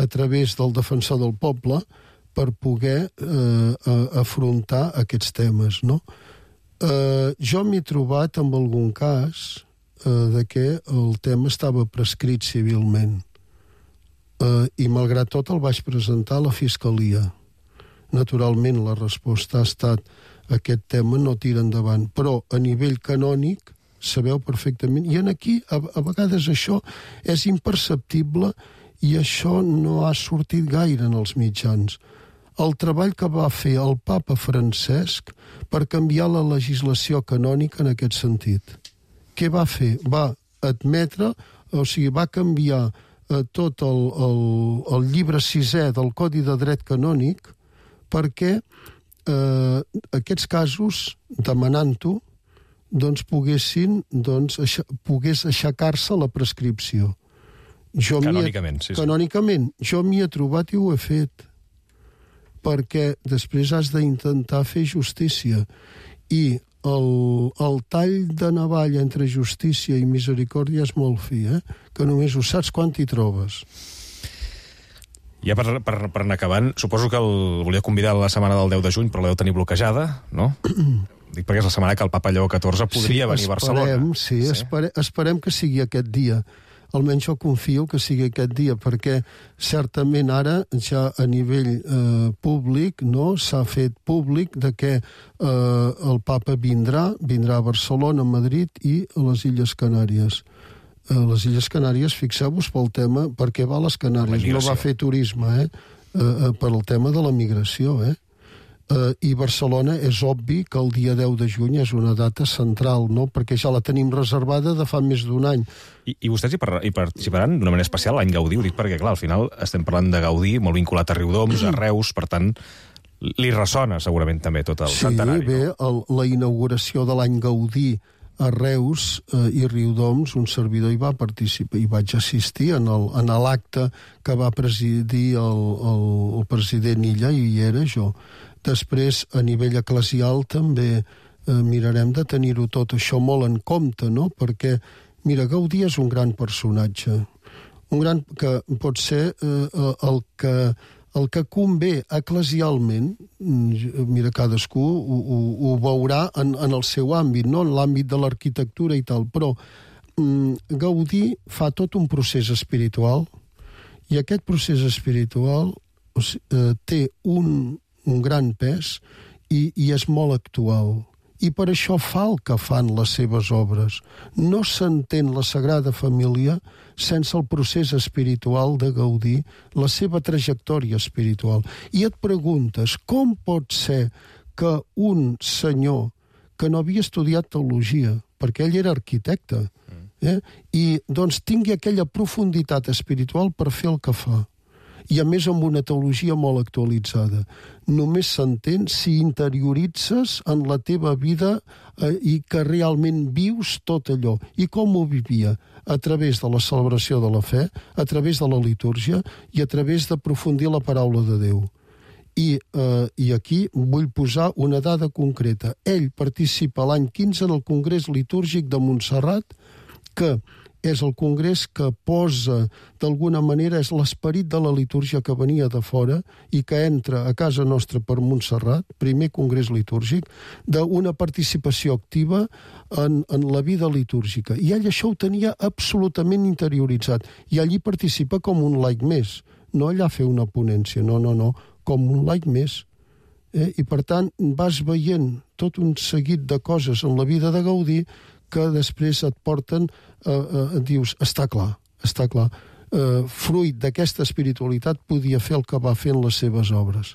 a través del defensor del poble per poder eh, afrontar aquests temes, no? Eh, jo m'he trobat amb algun cas de que el tema estava prescrit civilment. Eh, I malgrat tot el vaig presentar a la Fiscalia. Naturalment la resposta ha estat aquest tema no tira endavant, però a nivell canònic sabeu perfectament, i en aquí a, a vegades això és imperceptible i això no ha sortit gaire en els mitjans. El treball que va fer el papa Francesc per canviar la legislació canònica en aquest sentit. Què va fer? Va admetre, o sigui, va canviar eh, tot el, el, el llibre sisè del Codi de Dret Canònic perquè eh, aquests casos, demanant-ho, doncs poguessin, doncs, aixa, pogués aixecar-se la prescripció. Jo canònicament, sí, sí. Canònicament. Jo m'hi he trobat i ho he fet. Perquè després has d'intentar fer justícia. I el, el tall de navalla entre justícia i misericòrdia és molt fi, eh? Que només ho saps quan t'hi trobes. Ja per, per, per anar acabant, suposo que el volia convidar a la setmana del deu de juny, però la deu tenir bloquejada, no? Dic perquè és la setmana que el papa Lleó catorze podria sí, venir a Barcelona. Esperem, sí, sí. Espere, esperem que sigui aquest dia. Almenys jo confio que sigui aquest dia, perquè certament ara ja a nivell eh, públic no s'ha fet públic de que eh, el papa vindrà, vindrà a Barcelona, a Madrid i a les Illes Canàries. A les Illes Canàries, fixeu-vos pel tema, perquè va a les Canàries, no va fer turisme, eh? Eh, per el tema de la migració, eh? Uh, i Barcelona és obvi que el dia deu de juny és una data central, no? Perquè ja la tenim reservada de fa més d'un any. I, i vostès hi, par hi participaran d'una manera especial l'any Gaudí? Ho dic perquè, clar, al final estem parlant de Gaudí, molt vinculat a Riudoms, a Reus, per tant, li ressona segurament també tot el sí, centenari. Sí, bé, el, la inauguració de l'any Gaudí a Reus eh, i Riudoms, un servidor hi va participar, hi vaig assistir en l'acte que va presidir el, el, el president Illa, i hi era jo. Després, a nivell eclesial, també eh, mirarem de tenir-ho tot això molt en compte, no? Perquè, mira, Gaudí és un gran personatge, un gran que pot ser eh, el que el que convé eclesialment, mira, cadascú ho, ho, ho veurà en, en el seu àmbit, no? En l'àmbit de l'arquitectura i tal, però mm, Gaudí fa tot un procés espiritual i aquest procés espiritual o sigui, eh, té un, un gran pes i, i és molt actual. I per això fa el que fan les seves obres. No s'entén la Sagrada Família sense el procés espiritual de Gaudí, la seva trajectòria espiritual. I et preguntes, com pot ser que un senyor que no havia estudiat teologia, perquè ell era arquitecte, eh, i doncs tingui aquella profunditat espiritual per fer el que fa? I a més amb una teologia molt actualitzada. Només s'entén si interioritzes en la teva vida eh, i que realment vius tot allò. I com ho vivia? A través de la celebració de la fe, a través de la litúrgia i a través d'aprofundir la paraula de Déu. I, eh, I aquí vull posar una dada concreta. Ell participa l'any quinze en el Congrés Litúrgic de Montserrat, que és el congrés que posa, d'alguna manera, és l'esperit de la litúrgia que venia de fora i que entra a casa nostra per Montserrat, primer congrés litúrgic, d'una participació activa en, en la vida litúrgica. I ell això ho tenia absolutament interioritzat. I allí participa com un laic més. No allà fer una ponència, no, no, no, com un laic més. Eh? I, per tant, vas veient tot un seguit de coses en la vida de Gaudí que després et porten, eh, eh, dius, està clar, està clar. Eh, fruit d'aquesta espiritualitat podia fer el que va fer en les seves obres.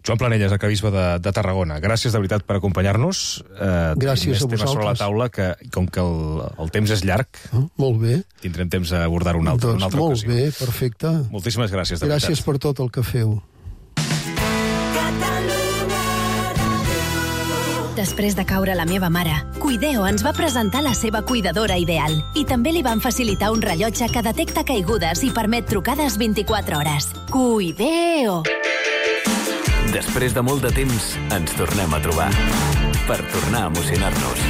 Joan Planelles, arquebisbe de, de Tarragona, gràcies de veritat per acompanyar-nos. Eh, gràcies a vosaltres. Sobre la taula, que com que el, el temps és llarg, ah, molt bé. Tindrem temps d'abordar una altra, doncs, una altra molt ocasió. Molt bé, perfecte. Moltíssimes gràcies, de gràcies veritat. Gràcies per tot el que feu. Després de caure la meva mare, Cuideo ens va presentar la seva cuidadora ideal i també li van facilitar un rellotge que detecta caigudes i permet trucades vint-i-quatre hores. Cuideo! Després de molt de temps, ens tornem a trobar. Per tornar a emocionar-nos.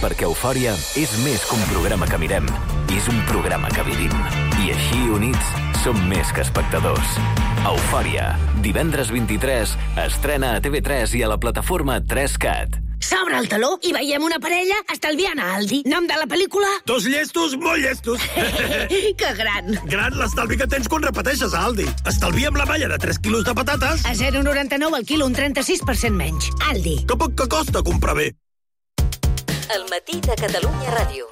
Perquè Eufòria és més que un programa que mirem. És un programa que vivim. I així, units, som més que espectadors. Eufòria, divendres vint-i-tres, estrena a T V tres i a la plataforma tres cat. S'obre el taló i veiem una parella estalviant a Aldi. Nom de la pel·lícula? Dos llestos, molt llestos. Que gran. Gran l'estalvi que tens quan repeteixes a Aldi. Estalvia amb la malla de tres quilos de patates. A zero coma noranta-nou al quilo, un trenta-sis per cent menys. Aldi. Que poc que costa comprar bé. El matí de Catalunya Ràdio.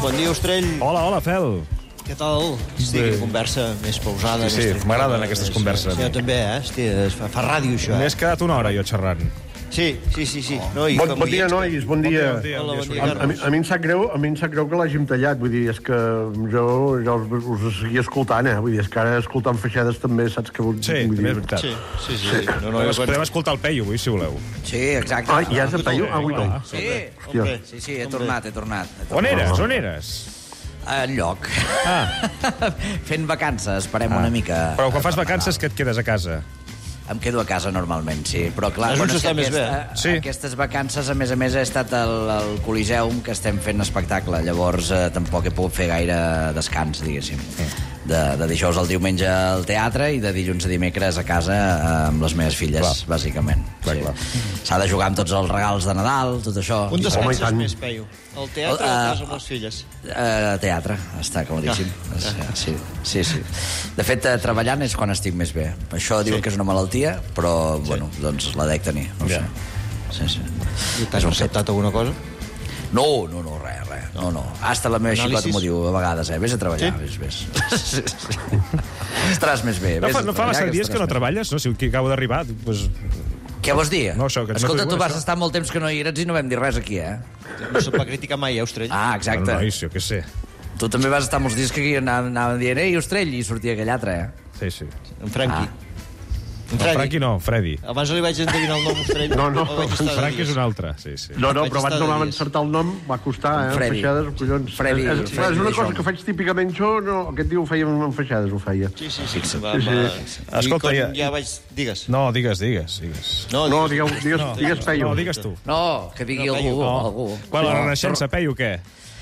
Bon dia, Ostrell. Hola, hola, Fel. Què tal? Hosti, quina conversa més pausada. Sí, sí, m'agraden aquestes converses. Sí, jo també, eh? Hosti, fa, fa ràdio, això, eh? M'he quedat una hora, jo, xerrant. Sí, sí, sí, sí. No, bon, bon dia, nois, bon dia. Bon dia, bon dia, a, a, mi, a, mi em sap greu, a mi em sap greu que l'hàgim tallat, vull dir, és que jo, jo us, us seguia escoltant, eh? Vull dir, és que ara escoltant feixades també saps que vull, sí, vull dir. Sí, és veritat. Sí, sí, sí. sí. No, no, podem, podem escoltar el Peyu, avui, si voleu. Sí, exacte. Ah, ja és el Peyu? Avui no. Sí, okay. sí, sí, he tornat, he tornat. He tornat. On eres, on eres? En lloc. Ah. Fent vacances, esperem ah. una mica. Però quan fas vacances, que et quedes a casa? Em quedo a casa normalment, sí. Però clar, és bueno, on s'està més aquesta, bé. Sí. Aquestes vacances, a més a més, he estat al, al Coliseum, que estem fent espectacle. Llavors eh, tampoc he pogut fer gaire descans, diguéssim. Sí. De, de dijous al diumenge al teatre i de dilluns a dimecres a casa eh, amb les meves filles, clar. Bàsicament. Clar, sí. clar. S'ha de jugar amb tots els regals de Nadal, tot això. On descanses més, Peyu? Al teatre o a casa amb les filles? Uh, teatre, està claríssim. Ah. Sí, sí, sí. De fet, uh, treballant és quan estic més bé. Això diuen sí. que és una malaltia, però, sí. bueno, doncs la dec tenir. No ja. sé. Sí, sí. I t'has acceptat alguna cosa? No, no, no, res, res. No, no. Hasta la meva xicota m'ho diu a vegades, eh? Vés a treballar, sí? vés, vés. Estaràs més bé. No fa, no fa massa dies que no treballes, no? Si aquí acabo d'arribar, doncs... Què vols dir? No, això, que Escolta, no tu vas això. estar molt temps que no hi eres i no vam dir res aquí, eh? No se't va criticar mai, eh, Ostrell? Ah, exacte. Bueno, nois, jo què sé. Tu també vas estar molts dies que aquí anàvem, anàvem dient, ei, Ostrell, i sortia aquell altre, eh? Sí, sí. En Franqui. Ah. No, Franqui no, Freddy. Abans li vaig endevinar el nom, Freddy. No, no, Franqui és un altre, sí, sí. No, no, però abans no vam encertar el nom, va costar, eh, Freddy. Feixades, collons. Freddy, és, Freddy és una de cosa Jong. que faig típicament jo, no, aquest dia ho fèiem amb Feixades, ho feia. Sí, sí, sí. sí, va, va, sí. Escolta, I ja- ja vaig... Digues. No, digues, digues, digues. No, No, digues, digues, digues, no, digues Peyu. No, digues tu. No, que digui No, algú. Peyu, algú. Quan la Renaixença, Peyu, què?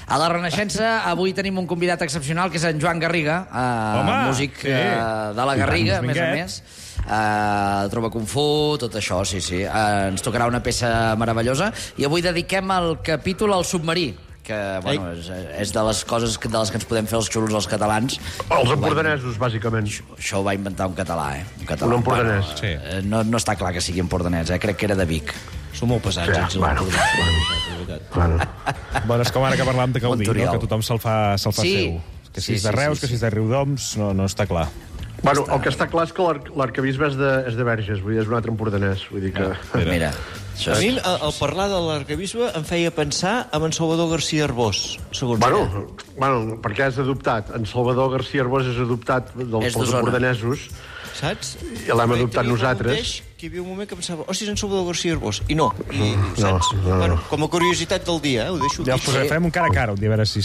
A la Renaixença avui tenim un convidat excepcional, que és en Joan Garriga, eh, Home, músic sí. eh, de la I Garriga, a tant, més a Minguet. més. Uh, troba Kung Fu, tot això, sí, sí. Uh, ens tocarà una peça meravellosa. I avui dediquem el capítol al submarí, que bueno, és, és de les coses que, de les que ens podem fer els xulos els catalans. Els empordanesos, bàsicament. Això, això ho va inventar un català, eh? Un, català. Un empordanès. Bueno, eh, no, no està clar que sigui empordanès, eh? Crec que era de Vic. Són molt pesats, Sí, els bueno, empordanesos. Bueno. Bueno, és com ara que parlàvem de Gaudí, no? Montoriol. Que tothom se'l fa, se'l fa Sí. seu. Que si Sí, és de sí, Reus, sí, que si sí. és de Riudoms, no, no està clar. Bueno, el que està clar és que l'ar- l'arquebisbe és, de, és de Verges, vull dir, és un altre empordanès, vull dir que... Mira, això A mi, és... al al parlar de l'arquebisbe, em feia pensar en en Salvador García Arbós, segons ella. Bueno, bueno, perquè és adoptat. En Salvador García Arbós és adoptat dels, És pels d'Osona. empordanesos. Saps? I l'hem Perquè adoptat hi havia un nosaltres. mateix Que hi havia un moment que pensava, hòstia, és en Salvador García Arbós. I no, i, No, saps? no, no. Bueno, com a curiositat del dia, eh? Ho deixo Ja aquí. us posarem, fem un cara a cara, un dia, a veure si